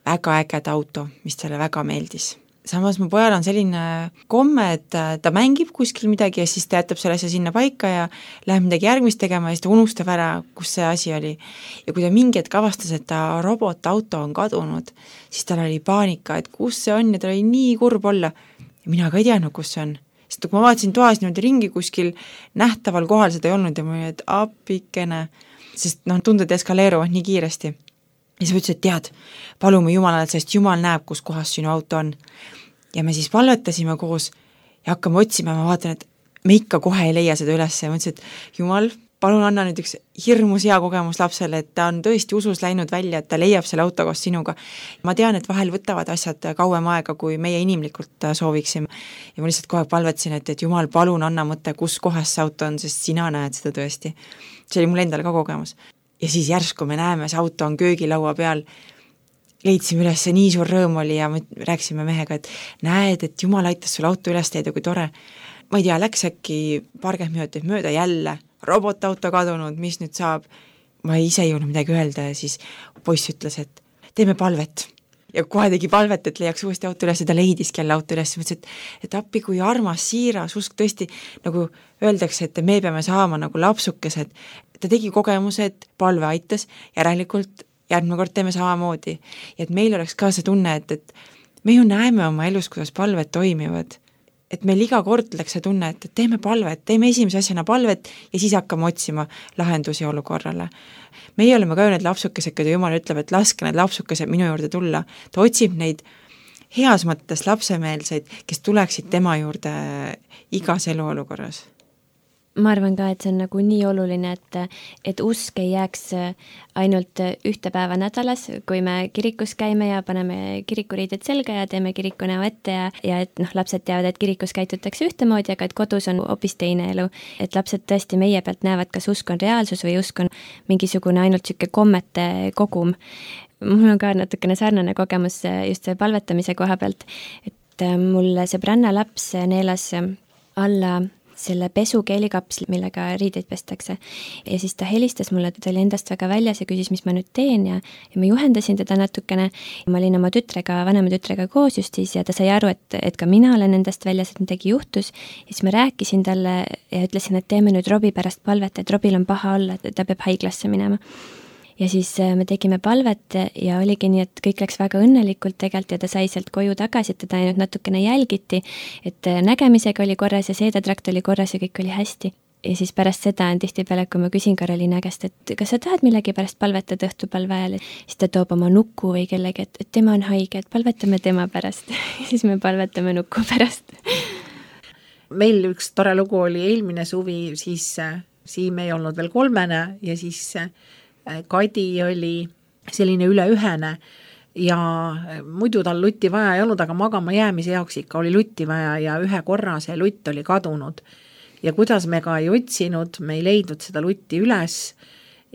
väga ägeda auto, mis talle väga meeldis. Samas mu pojal on selline komme, et ta mängib kuskil midagi ja siis ta jätab selle asja sinna paika ja läheb midagi järgmist tegema ja siis ta unustab ära, kus see asi oli. Ja kui ta mingi hetk avastas, et ta robotauto on kadunud, siis tal oli paanika, et kus see on ja tal oli nii kurb olla. Ja mina ka ei teadnud, kus see on. Sest kui ma vaatasin toas niimoodi ringi kuskil nähtaval kohal seda ei olnud ja ma olin, et apikene, sest tunded eskaleeruvad nii kiiresti. Ja siis ma ütlesin, et tead, palume Jumalale, sest Jumal näeb, kus kohas sinu auto on. Ja me siis palvetasime koos ja hakkame otsima ja ma vaatan, et me ikka kohe ei leia seda üles ja ma ütlesin, et Jumal, palun anna nüüd üks hirmus hea kogemus lapsele, et ta on tõesti usus läinud välja, et ta leiab selle auto koos sinuga. Ma tean, et vahel võtavad asjad kauem aega, kui meie inimlikult sooviksime. Ja ma lihtsalt kohe palvetasin, et Jumal, palun anna mõte, kus kohas see auto on, sest sina näed seda tõesti. See oli mul endal ka kogemus. Ja siis järsku me näeme, see auto on köögilaua peal, leidsime üles, nii suur rõõm oli ja me rääkisime mehega, et näed, et Jumal aitas sul auto üles teeda, kui tore. Ma ei tea, läks äkki 20 minutit mööda jälle, robotauto kadunud, mis nüüd saab? Ma ise ei jõudnud midagi öelda ja siis poiss ütles, et teeme palvet. Ja kohe tegi palvet, et leiaks uuesti auto üles ja ta leidiski jälle auto üles. Mõtlesin, et appi, kui armas, siiras, usk tõesti, nagu öeldakse, et me peame saama nagu lapsukesed. Ta tegi kogemuse, et palve aitas, järelikult järgmine kord teeme samamoodi. Ja et meil oleks ka see tunne, et me ju näeme oma elus, kuidas palved toimivad. Et meil iga kord läks see tunne, et teeme palvet, teeme esimese asjana palvet ja siis hakkame otsima lahendusi olukorrale. Meie oleme ka ju need lapsukesed, kui Jumal ütleb, et laske need lapsukesed minu juurde tulla. Ta otsib neid heas mõttes lapsemeelseid, kes tuleksid tema juurde igas eluolukorras. Ma arvan ka, et see on nagu nii oluline, et usk ei jääks ainult 1 päeva nädalas, kui me kirikus käime ja paneme kirikuriided selga ja teeme kirikunäo ette ja et lapsed teavad, et kirikus käitutakse ühtemoodi, aga et kodus on hoopis teine elu. Et lapsed tõesti meie pealt näevad, kas usk on reaalsus või usk on mingisugune ainult siuke kommete kogum. Mul on ka natukene sarnane kogemus just see palvetamise koha pealt, et mul sõbranna laps neelas alla selle pesukeelikapsli, millega riideid pestakse. Ja siis ta helistas mulle, ta oli endast väga väljas ja küsis, mis ma nüüd teen ja ma juhendasin teda natukene. Ma olin oma vanema tütrega koos just siis ja ta sai aru, et ka mina olen endast väljas, et midagi juhtus. Ja siis ma rääkisin talle ja ütlesin, et teeme nüüd Robi pärast palvet, et Robil on paha olla, et ta peab haiglasse minema. Ja siis me tegime palvet ja oligi nii, et kõik läks väga õnnelikult tegelikult ja ta sai sealt koju tagasi, et teda ainult natukene jälgiti, et nägemisega oli korras ja seedetrakt oli korras ja kõik oli hästi. Ja siis pärast seda on tihtipeale, kui ma küsin Karoliina käest, et kas sa tahad millegi pärast palvetada õhtupalve ajal, siis ta toob oma nuku või kellegi, et tema on haige, et palvetame tema pärast. Siis me palvetame nuku pärast. Meil üks tore lugu oli eelmine suvi, siis siin me ei olnud veel 3 ja siis Kadi oli selline üleühene ja muidu tal lutti vaja ei olnud, aga magama jäämise jaoks ikka oli lutti vaja ja ühe korra see lutt oli kadunud. Ja kuidas me ka ei otsinud, me ei leidnud seda lutti üles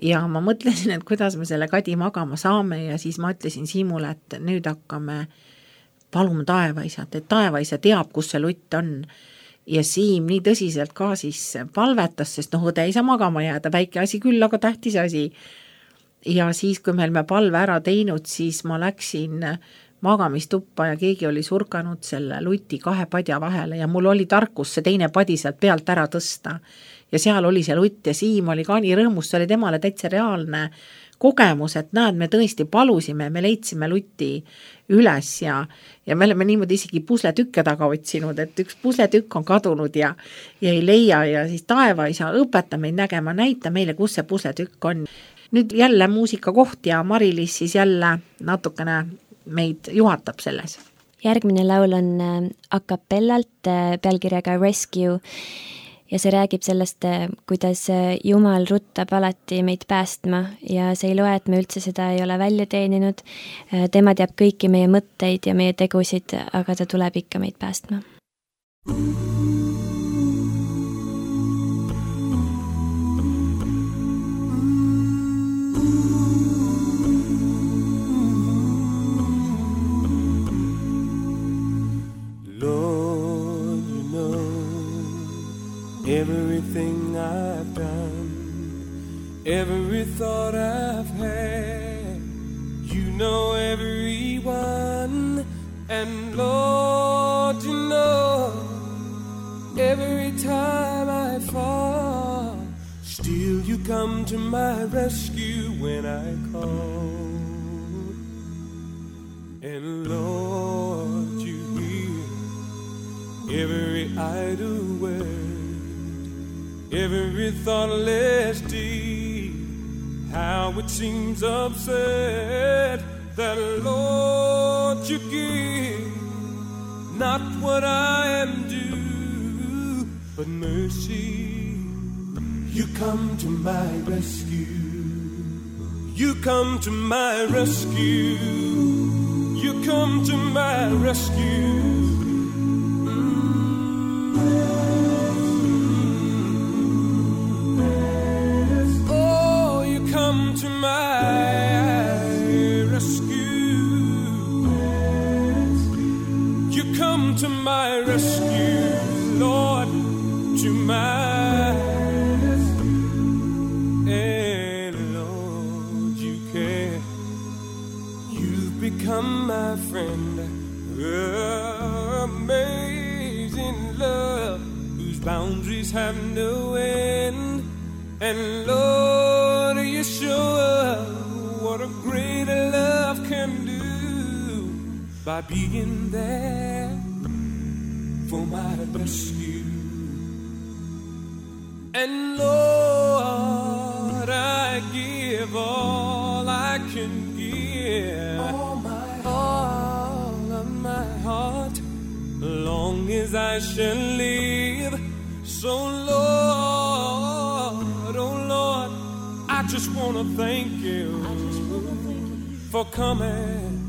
ja ma mõtlesin, et kuidas me selle Kadi magama saame ja siis ma ütlesin Siimule, et nüüd hakkame palume taevaisat, et taevaisa teab, kus see lutt on. Ja Siim nii tõsiselt ka siis palvetas, sest õde ei saa magama jääda, väike asi küll, aga tähtis asi. Ja siis, kui meil me palve ära teinud, siis ma läksin magamistuppa ja keegi oli surkanud selle luti 2 padja vahele ja mul oli tarkus see teine padi sealt pealt ära tõsta. Ja seal oli see lutt ja Siim oli ka nii rõõmus, see oli temale täitsa reaalne kogemus, et näed, me tõesti palusime, me leidsime luti üles ja me oleme niimoodi isegi pusletükke taga otsinud, et üks pusletükk on kadunud ja ei leia ja siis taevaisa õpeta meid nägema, näita meile, kus see pusletükk on. Nüüd jälle muusika koht ja Mari-Liis siis jälle natukene meid juhatab selles. Järgmine laul on a cappellalt pealkirjaga Rescue ja see räägib sellest, kuidas Jumal ruttab alati meid päästma ja see ei loe, et me üldse seda ei ole välja teeninud. Tema teab kõiki meie mõtteid ja meie tegusid, aga ta tuleb ikka meid päästma. Everything I've done, every thought I've had, you know everyone, and Lord, you know every time I fall, still you come to my rescue when I call, and Lord, you hear every idle word, every thoughtless deed, how it seems absurd that, Lord, you give not what I am due, but mercy. You come to my rescue. You come to my rescue. You come to my rescue. Come to my rescue. You come to my rescue, Lord, to my and Lord, you care. You've become my friend. Amazing love whose boundaries have no end. And Lord, you show what a great love can do by being there for my rescue. And Lord, I give all I can give, all of my heart, long as I shall live. So Lord, oh Lord, I just want to thank you for coming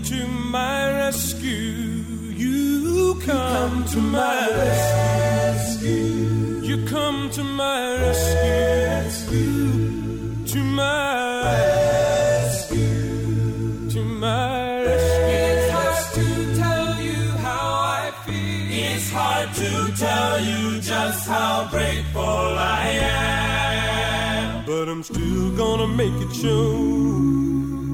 to my rescue. You come to my rescue. You come to my rescue. To my rescue. To my rescue. It's hard to tell you how I feel. It's hard to tell you just how grateful I am. But I'm still gonna make it show.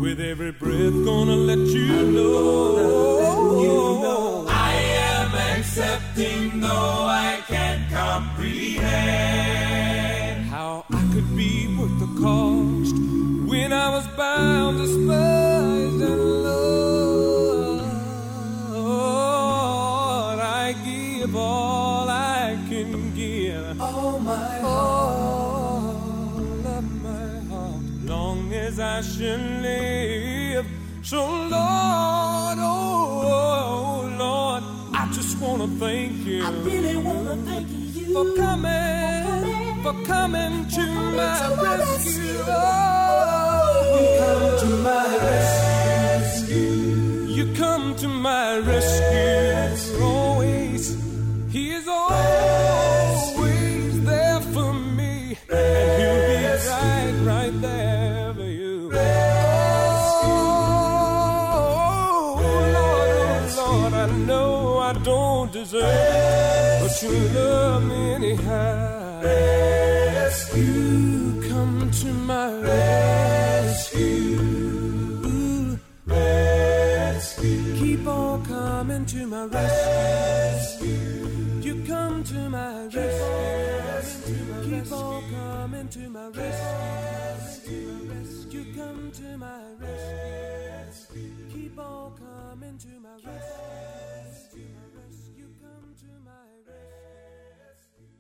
With every breath gonna let you know. I am accepting though I can't comprehend how I could be worth the cost when I was bound, despised and Lord, I give all I can give. All my as I shall live. So Lord, oh Lord, I just want to thank you. I really want to thank you for coming to my rescue. Oh, you come to my rescue. You come to my rescue. Always, He is always there for me, and He'll be right there. I don't deserve, but you love me anyhow. Rescue, come to my rescue. Rescue, keep on coming to my rescue. You come to my rescue. Keep on coming to my rescue. You come to my rescue. Keep on coming to my rescue. You come to my rescue.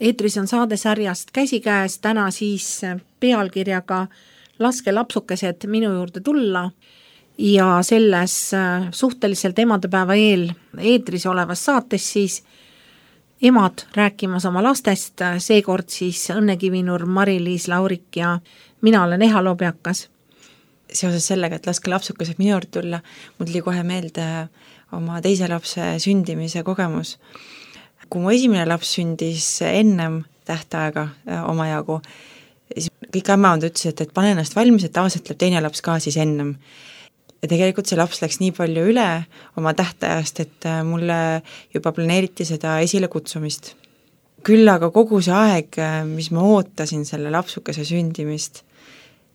eetris on saadesarjast Käsikäes, täna siis pealkirjaga Laske lapsukesed minu juurde tulla ja selles suhteliselt emadepäeva eel eetris olevas saates siis emad rääkimas oma lastest, seekord siis Õnne Kivinurm, Mari-Liis Laurik ja mina olen Eha Lobjakas. Seoses sellega, et laske lapsukesed minu juurde tulla, mul tuli kohe meelde oma teise lapse sündimise kogemus. Kui mu esimene laps sündis ennem tähtaega omajagu, siis kõik ämmaond ütlesid, et pane ennast valmis, et tavaliselt läheb teine laps ka siis ennem. Ja tegelikult see laps läks nii palju üle oma tähtajast, et mulle juba planeeriti seda esile kutsumist. Küll aga kogu see aeg, mis ma ootasin selle lapsukese sündimist,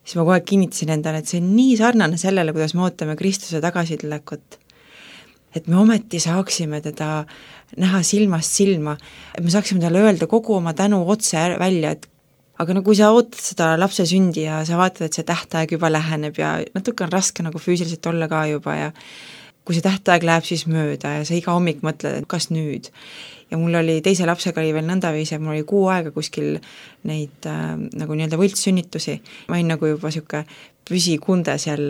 siis ma kohe kinnitasin endale, et see on nii sarnane sellele, kuidas me ootame Kristuse tagasitulekut. Et me ometi saaksime teda näha silmast silma, et me saaksime talle öelda kogu oma tänu otse välja, et aga no kui sa ootad seda lapse sündi ja sa vaatad, et see tähtaeg juba läheneb ja natuke on raske nagu füüsiliselt olla ka juba ja kui see tähtaeg läheb siis mööda ja sa iga hommik mõtled, et kas nüüd. Ja mul oli teise lapsega oli veel nõndaviisi, mul oli 6 aega kuskil neid nagu nii-öelda võltssünnitusi. Ma olin nagu juba siuke püsikunde seal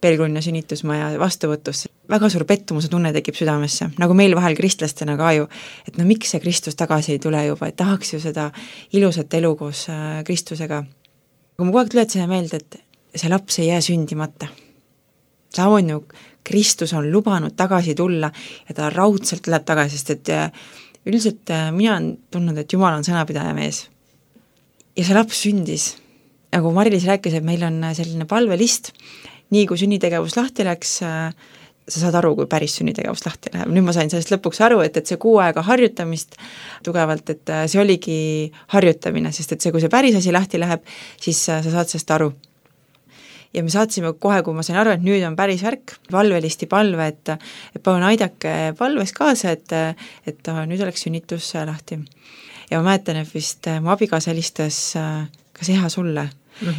Pelgrunna sünnitusmaja vastuvõtus. Väga suur pettumuse tunne tekib südamesse, nagu meil vahel kristlastena ka ju, et no miks see Kristus tagasi ei tule juba, et tahaks ju seda ilusat elu koos Kristusega. Aga ma kogu aeg tuletasin meelde, et see laps ei jää sündimata. See on ju, Kristus on lubanud tagasi tulla ja ta raudselt tuleb tagasi, sest et üldiselt mina olen tundnud, et Jumal on sõnapidaja mees. Ja see laps sündis. Nagu Mari-Liis rääkis, et meil on selline palvelist, nii kui sünnitegevus lahti läks, sa saad aru, kui päris sünnitegevus lahti läheb. Nüüd ma sain sellest lõpuks aru, et see 6 aega harjutamist tugevalt, et see oligi harjutamine, sest et see, kui see päris asi lahti läheb, siis sa saad sellest aru. Ja me saatsime kohe, kui ma sain aru, et nüüd on päris värk, palvelisti palve, et palun aidake palves kaasa, et nüüd oleks sünnitus lahti. Ja ma mäletan, et vist mu abikaasa helistas kas Eha sulle,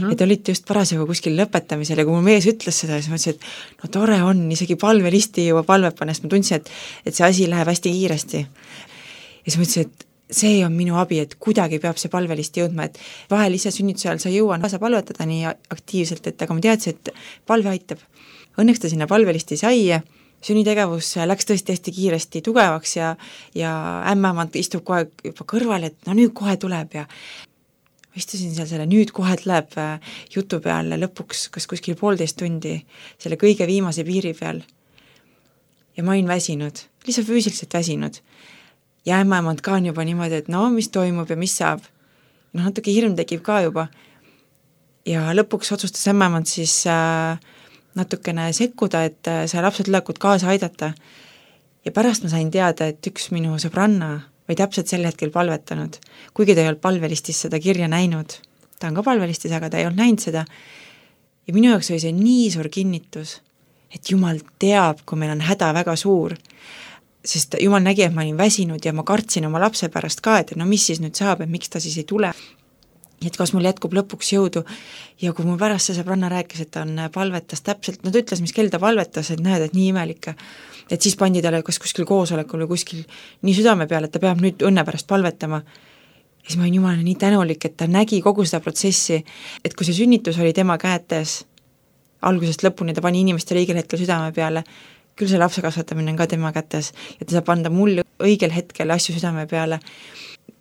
et olite just parasjagu kuskil lõpetamisel ja kui mu mees ütles seda, siis ma ütlesin, et no tore on, isegi palvelisti juba palvet panest, ma tundsin, et see asi läheb hästi kiiresti. Ja siis ma ütlesin, et see on minu abi, et kuidagi peab see palvelisti jõudma, et vahel ise sünnituse ajal sa jõuan kaasa palvetada nii aktiivselt, et aga ma teadsin, et palve aitab. Õnneks ta sinna palvelisti sai, sünnitegevus läks tõesti hästi kiiresti tugevaks ja ämmaemand istub kohe juba kõrval, et no nüüd kohe tuleb ja istusin seal selle nüüd kohe tuleb jutu peal lõpuks kas kuskil 1,5 tundi selle kõige viimase piiri peal. Ja ma olin väsinud, lihtsalt füüsiliselt väsinud. Ja ämmaemand ka on juba niimoodi, et no mis toimub ja mis saab. No natuke hirm tekib ka juba. Ja lõpuks otsustas ämmaemand siis natukene sekkuda, et see lapse tulekut kaasa aidata. Ja pärast ma sain teada, et üks minu sõbranna või täpselt sel hetkel palvetanud, kuigi ta ei olnud palvelistis seda kirja näinud. Ta on ka palvelistis, aga ta ei olnud näinud seda. Ja minu jaoks oli see nii suur kinnitus, et Jumal teab, kui meil on häda väga suur, sest Jumal nägi, et ma olin väsinud ja ma kartsin oma lapse pärast ka, et no mis siis nüüd saab, et miks ta siis ei tule. Et kas mul jätkub lõpuks jõudu ja kui mu pärast see sõbranna rääkis, et ta on palvetas täpselt, no ta ütles, mis kell ta palvetas, et näed, et nii imelik, et siis pandi talle kas kuskil koosolekul või kuskil nii südame peale, et ta peab nüüd õnne pärast palvetama. Ja siis ma olin Jumalale nii tänulik, et ta nägi kogu seda protsessi, et kui see sünnitus oli tema käetes, algusest lõpuni ta pani inimestele õigel hetkel südame peale, küll see lapse kasvatamine on ka tema kätes ja ta saab anda mulle õigel hetkel asju südame peale.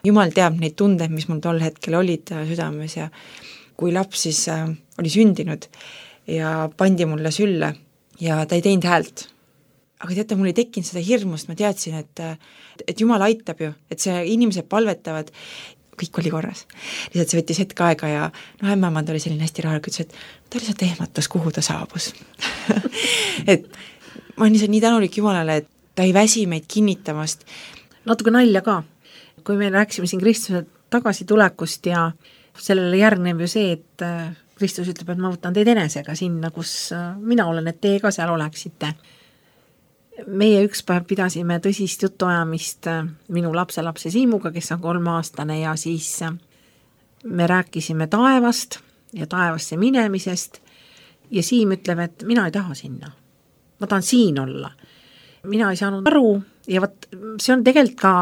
Jumal teab neid tundeid, mis mul tol hetkel olid südames ja kui laps siis oli sündinud ja pandi mulle sülle ja ta ei teinud häält. Aga teate, mul ei tekkinud seda hirmust, ma teadsin, et Jumal aitab ju, et see inimesed palvetavad, kõik oli korras. Lihtsalt see võttis hetk aega ja ämmaemand oli selline hästi rahulik, ütles, et ta lihtsalt ehmatas, kuhu ta saabus. Et ma olen nii tänulik Jumalale, et ta ei väsi meid kinnitamast. Natuke nalja ka, kui me rääkisime siin Kristuse tagasitulekust ja sellele järgneb ju see, et Kristus ütleb, et ma võtan teid enesega sinna, kus mina olen, et teie ka seal oleksite. Meie üks päev pidasime tõsist jutuajamist minu lapselapse Siimuga, kes on 3-aastane ja siis me rääkisime taevast ja taevasse minemisest ja Siim ütleb, et mina ei taha sinna. Ma tahan siin olla. Mina ei saanud aru ja võt, see on tegelikult ka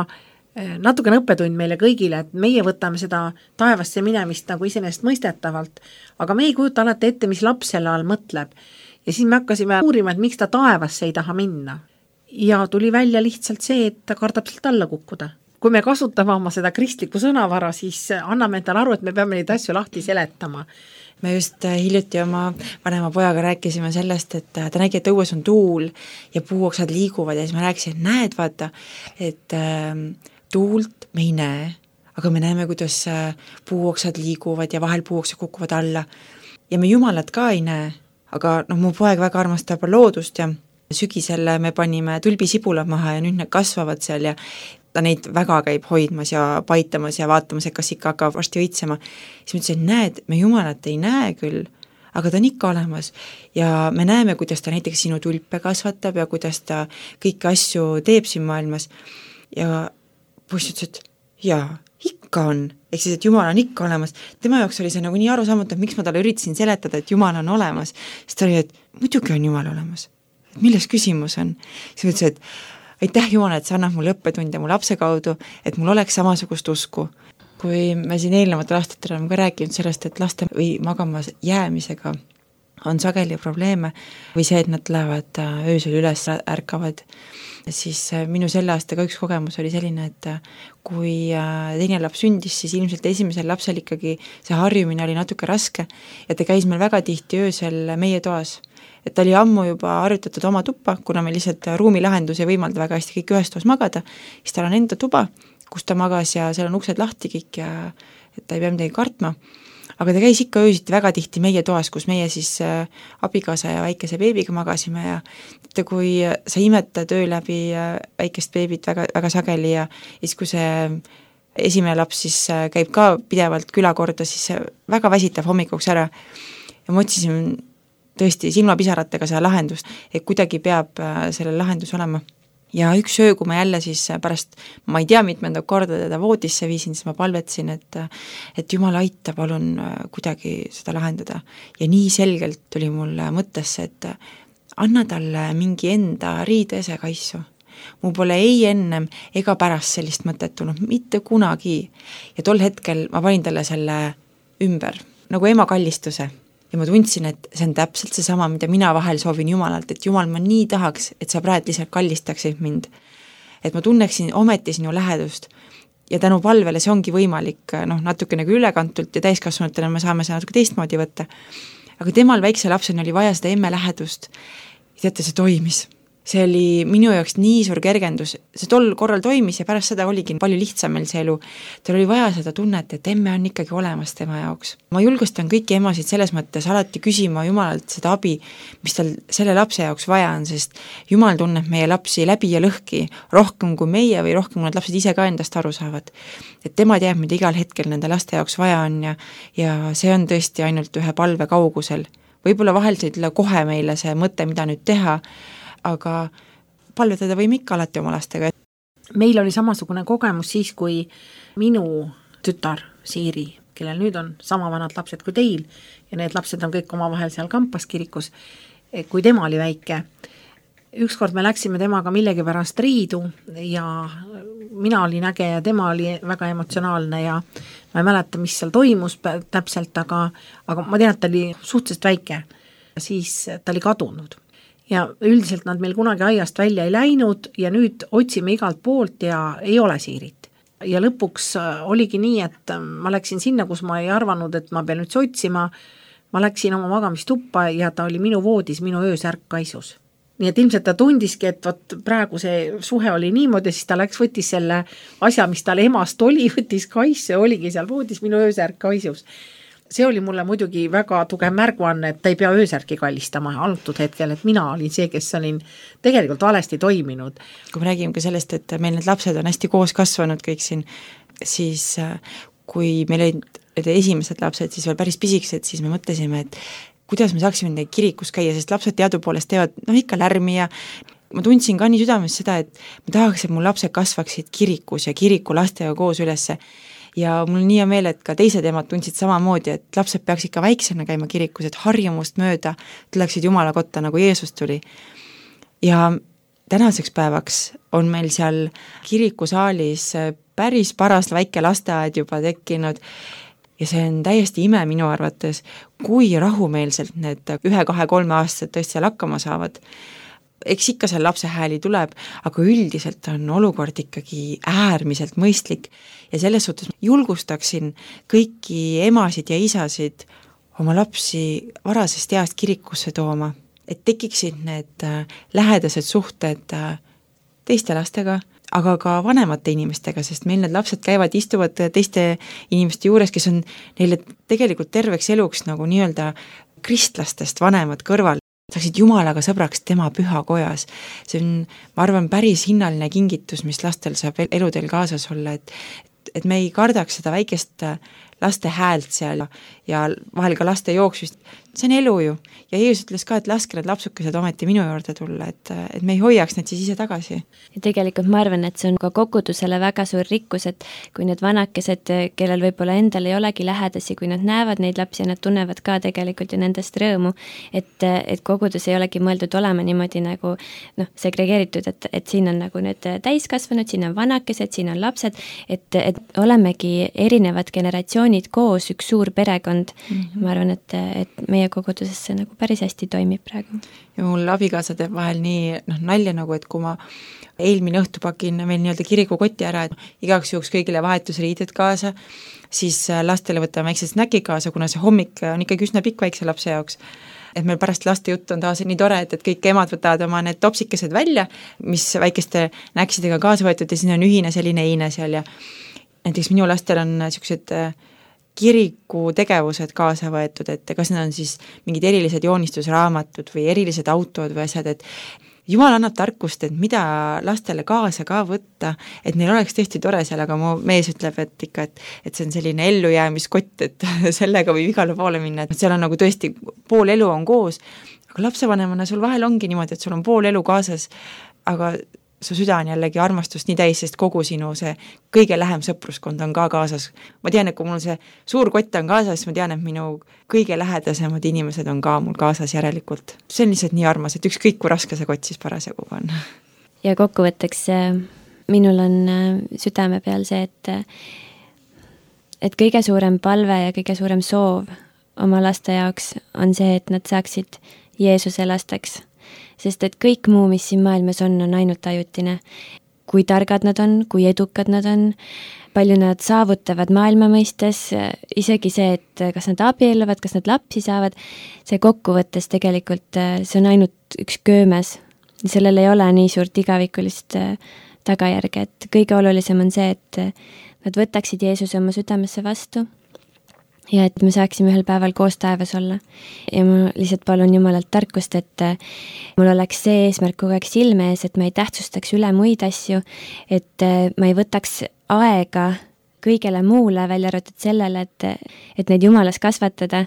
natukene õppetund meile kõigile, et meie võtame seda taevasse minemist nagu iseenesest mõistetavalt, aga me ei kujuta alati ette, mis laps selle all mõtleb. Ja siis me hakkasime uurima, et miks ta taevasse ei taha minna. Ja tuli välja lihtsalt see, et ta kardab sealt alla kukkuda. Kui me kasutame oma seda kristlikku sõnavara, siis anname endale aru, et me peame neid asju lahti seletama. Me just hiljuti oma vanema pojaga rääkisime sellest, et ta nägi, et õues on tuul ja puuoksad liiguvad ja siis ma rääkisin, et näed, vaata, et tuult me ei näe, aga me näeme, kuidas puuoksad liiguvad ja vahel puuoksad kukuvad alla ja me Jumalat ka ei näe, aga mu poeg väga armastab loodust ja sügisel me panime tulbisibulad maha ja nüüd need kasvavad seal ja ta neid väga käib hoidmas ja paitamas ja vaatamas, et kas ikka hakkab varsti õitsema. Siis ma ütlesin, näed, me Jumalat ei näe küll, aga ta on ikka olemas ja me näeme, kuidas ta näiteks sinu tulpe kasvatab ja kuidas ta kõiki asju teeb siin maailmas ja poiss ütles, et jaa, ikka on, ehk siis, et Jumal on ikka olemas. Tema jaoks oli see nagu nii arusaamatu, et miks ma talle üritasin seletada, et Jumal on olemas. Siis ta oli, et muidugi on Jumal olemas. Milles küsimus on? Siis ma ütlesin, et aitäh Jumal, et sa annad mulle õppetunde mu lapse kaudu, et mul oleks samasugust usku. Kui me siin eelnevatel aastatel oleme ka rääkinud sellest, et laste või magama jäämisega on sageli probleeme või see, et nad lähevad öösel üles, ärkavad, siis minu selle aastaga üks kogemus oli selline, et kui teine laps sündis, siis ilmselt esimesel lapsel ikkagi see harjumine oli natuke raske ja ta käis meil väga tihti öösel meie toas. Et ta oli ammu juba harjutatud oma tuppa, kuna me lihtsalt ruumilahendus ei võimalda väga hästi kõik ühes toas magada, siis tal on enda tuba, kus ta magas ja seal on uksed lahti kõik ja et ta ei pea midagi kartma. Aga ta käis ikka öösiti väga tihti meie toas, kus meie siis abikaasa ja väikese beebiga magasime ja kui sa imetad öö läbi väikest beebit väga, väga sageli ja siis kui see esimene laps siis käib ka pidevalt külakorda, siis see väga väsitab hommikuks ära ja ma otsisin tõesti silmapisaratega seda lahendust, et kuidagi peab selle lahendus olema. Ja üks öö, kui ma jälle siis pärast, ma ei tea, mitmendat korda teda voodisse viisin, siis ma palvetsin, et Jumal aita, palun kuidagi seda lahendada. Ja nii selgelt tuli mulle mõttesse, et anna talle mingi enda riidese kaisu. Mu pole ei ennem ega pärast sellist mõtet tulnud, mitte kunagi. Ja tol hetkel ma panin talle selle ümber, nagu ema kallistuse. Ja ma tundsin, et see on täpselt see sama, mida mina vahel soovin Jumalalt, et Jumal, ma nii tahaks, et sa praegu lihtsalt kallistaksid mind. Et ma tunneksin ometi sinu lähedust ja tänu palvele see ongi võimalik natuke nagu ülekantult ja täiskasvanutele me saame seda natuke teistmoodi võtta. Aga temal väikse lapsena oli vaja seda emme lähedust ja teate, see toimis. See oli minu jaoks nii suur kergendus, see tol korral toimis ja pärast seda oligi palju lihtsam meil see elu. Tal oli vaja seda tunnet, et emme on ikkagi olemas tema jaoks. Ma julgustan kõiki emasid selles mõttes alati küsima Jumalalt seda abi, mis tal selle lapse jaoks vaja on, sest Jumal tunneb meie lapsi läbi ja lõhki rohkem kui meie või rohkem kui need lapsed ise ka endast aru saavad. Et tema teab, mida igal hetkel nende laste jaoks vaja on ja see on tõesti ainult ühe palve kaugusel. Võib-olla vahel see ütle kohe meile see mõte, mida nüüd teha, aga palvetada võime ikka alati oma lastega. Meil oli samasugune kogemus siis, kui minu tütar Siiri, kellel nüüd on sama vanad lapsed kui teil ja need lapsed on kõik omavahel seal Kampas kirikus, kui tema oli väike. Ükskord me läksime temaga millegi pärast riidu ja mina olin äge ja tema oli väga emotsionaalne ja ma ei mäleta, mis seal toimus täpselt, aga ma tean, et ta oli suhteliselt väike. Siis ta oli kadunud. Ja üldiselt nad meil kunagi aiast välja ei läinud ja nüüd otsime igalt poolt ja ei ole Siirit. Ja lõpuks oligi nii, et ma läksin sinna, kus ma ei arvanud, et ma pean nüüd otsima. Ma läksin oma magamistuppa ja ta oli minu voodis, minu öösärk kaisus. nii et ilmselt ta tundiski, et vot praegu see suhe oli niimoodi, siis ta võttis selle asja, mis tal emast oli, võttis kaisu, oligi seal voodis minu öösärk kaisus. See oli mulle muidugi väga tugev märguanne, et ta ei pea öösärki kallistama antud hetkel, et mina olin see, kes olin tegelikult valesti toiminud. Kui me räägime ka sellest, et meil need lapsed on hästi koos kasvanud kõik siin, siis kui meil olid esimesed lapsed, siis veel päris pisikesed, siis me mõtlesime, et kuidas me saaksime neid kirikus käia, sest lapsed teadupoolest teevad ikka lärmi ja ma tundsin ka nii südames seda, et ma tahaks, et mu lapsed kasvaksid kirikus ja kiriku lastega koos ülesse. Ja mul nii hea meel, et ka teised emad tundsid samamoodi, et lapsed peaks ikka väiksena käima kirikus, et harjumust mööda tuleksid Jumala kotta, nagu Jeesus tuli. Ja tänaseks päevaks on meil seal kirikusaalis päris paras väike lasteaed juba tekkinud ja see on täiesti ime minu arvates, kui rahumeelselt need 1, 2, 3 aastased tõesti seal hakkama saavad. Eks ikka seal lapse hääli tuleb, aga üldiselt on olukord ikkagi äärmiselt mõistlik ja selles suhtes julgustaksin kõiki emasid ja isasid oma lapsi varasest east kirikusse tooma, et tekiksid need lähedased suhted teiste lastega, aga ka vanemate inimestega, sest meil need lapsed käivad, istuvad teiste inimeste juures, kes on neile tegelikult terveks eluks nagu nii-öelda kristlastest vanemad kõrval, saaksid Jumalaga sõbraks tema pühakojas. See on, ma arvan, päris hinnaline kingitus, mis lastel saab eludel kaasas olla, et me ei kardaks seda väikest laste häält seal ja vahel ka laste jooksvist. See on elu ju. Ja Jeesus ütles ka, et laske need lapsukesed ometi minu juurde tulla, et me ei hoiaks need siis ise tagasi. Ja tegelikult ma arvan, et see on ka kogudusele väga suur rikkus, et kui need vanakesed, kellel võib-olla endal ei olegi lähedasi, kui nad näevad neid lapsi ja nad tunnevad ka tegelikult ju nendest rõõmu, et kogudus ei olegi mõeldud olema niimoodi nagu segregeeritud, et siin on nagu need täiskasvanud, siin on vanakesed, siin on lapsed, et olemegi erinevad generatsioonid koos, üks suur perekond. Ma arvan, et meie koguduses see nagu päris hästi toimib praegu. Ja mul abikaasa teeb vahel nii nalja nagu, et kui ma eelmine õhtu pakin meil nii-öelda kirikukoti ära, et igaks juhuks kõigile vahetusriided kaasa, siis lastele võtame väikse snäki kaasa, kuna see hommik on ikkagi üsna pikk väikse lapse jaoks. Et meil pärast laste jutt on taas nii tore, et kõik emad võtavad oma need topsikesed välja, mis väikeste näksidega kaasa võetud ja siin on ühine selline eine seal ja näiteks minu lastel on niisugused kiriku tegevused kaasa võetud, et kas need on siis mingid erilised joonistusraamatud või erilised autod või asjad, et Jumal annab tarkust, et mida lastele kaasa ka võtta, et neil oleks tõesti tore seal, aga mu mees ütleb, et ikka, et see on selline ellujäämiskott, et sellega võib igale poole minna, et seal on nagu tõesti pool elu on koos, aga lapsevanemana sul vahel ongi niimoodi, et sul on pool elu kaasas, aga su süda on jällegi armastust nii täis, sest kogu sinu see kõige lähem sõpruskond on ka kaasas. Ma tean, et kui mul see suur kott on kaasas, ma tean, et minu kõige lähedasemad inimesed on ka mul kaasas järelikult. See on lihtsalt nii armas, et ükskõik kui raske see kott siis parasjagu on. Ja kokkuvõtteks minul on südame peal see, et kõige suurem palve ja kõige suurem soov oma laste jaoks on see, et nad saaksid Jeesuse lasteks. Sest et kõik muu, mis siin maailmas on ainult ajutine. Kui targad nad on, kui edukad nad on, palju nad saavutavad maailma mõistes, isegi see, et kas nad abielluvad, kas nad lapsi saavad, see kokkuvõttes tegelikult, see on ainult üks köömes. Sellel ei ole nii suurt igavikulist tagajärge, et kõige olulisem on see, et nad võtaksid Jeesuse oma südamesse vastu ja et me saaksime ühel päeval koos taevas olla. Ja ma lihtsalt palun Jumalalt tarkust, et mul oleks see eesmärk kogu aeg silme ees, et ma ei tähtsustaks üle muid asju, et ma ei võtaks aega kõigele muule välja arvatud sellele, et neid Jumalas kasvatada,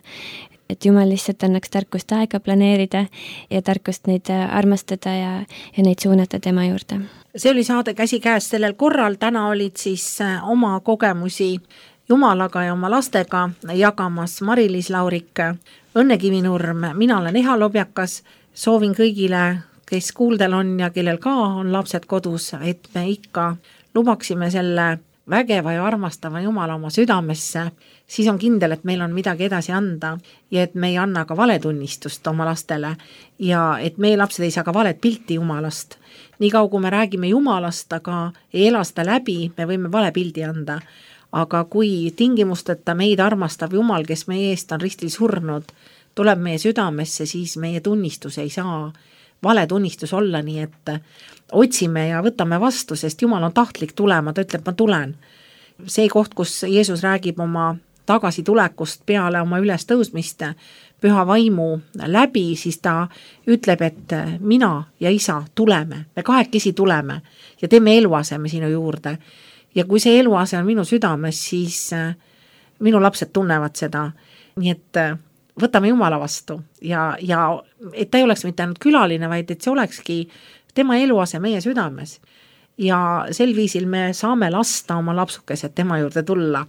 et Jumal lihtsalt annaks tarkust aega planeerida ja tarkust neid armastada ja neid suunata tema juurde. See oli saade Käsikäes sellel korral, täna olid siis oma kogemusi Jumalaga ja oma lastega jagamas Mari-Liis Laurik, Õnne Kivinurm, mina olen Eha Lobjakas, soovin kõigile, kes kuuldel on ja kellel ka on lapsed kodus, et me ikka lubaksime selle vägeva ja armastava Jumala oma südamesse, siis on kindel, et meil on midagi edasi anda ja et me ei anna ka valetunnistust oma lastele ja et meie lapsed ei saa ka valet pilti Jumalast. Nii kaua, kui me räägime Jumalast, aga ei ela seda läbi, me võime vale pildi anda. Aga kui tingimusteta meid armastav Jumal, kes meie eest on ristil surnud, tuleb meie südamesse, siis meie tunnistus ei saa valetunnistus olla, nii et otsime ja võtame vastu, sest Jumal on tahtlik tulema, ta ütleb, ma tulen. See koht, kus Jeesus räägib oma tagasitulekust peale oma ülestõusmist püha vaimu läbi, siis ta ütleb, et mina ja isa tuleme, me kahekesi tuleme ja teeme eluaseme sinu juurde. Ja kui see eluase on minu südames, siis minu lapsed tunnevad seda, nii et võtame Jumala vastu ja et ta ei oleks mitte ainult külaline, vaid et see olekski tema eluase meie südames. Ja sel viisil me saame lasta oma lapsukesed tema juurde tulla.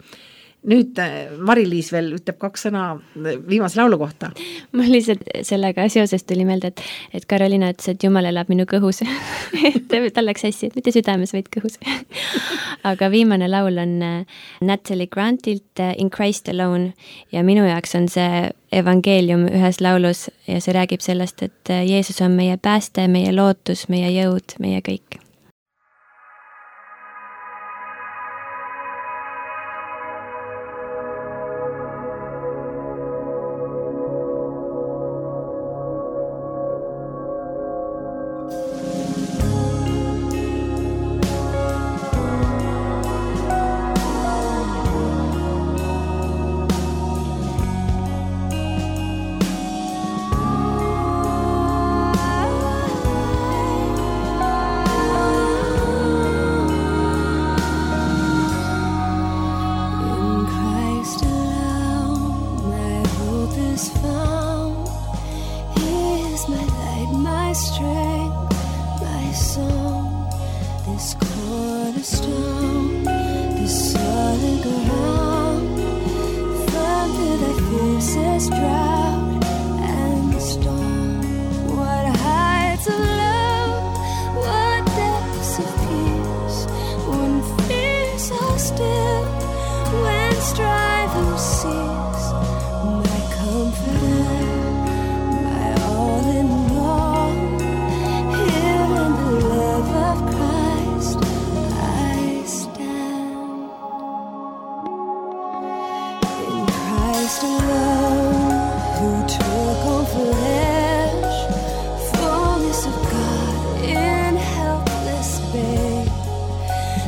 Nüüd Mari-Liis veel ütleb 2 sõna viimase laulu kohta. Mul lihtsalt sellega seoses tuli meelde, et Karoliina ütles, et Jumal elab minu kõhus. Tal läks hästi, et mitte südames, vaid kõhus. Aga viimane laul on Natalie Grantilt In Christ Alone ja minu jaoks on see evangeelium ühes laulus ja see räägib sellest, et Jeesus on meie pääste, meie lootus, meie jõud, meie kõik.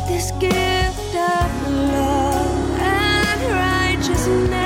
This gift of love and righteousness.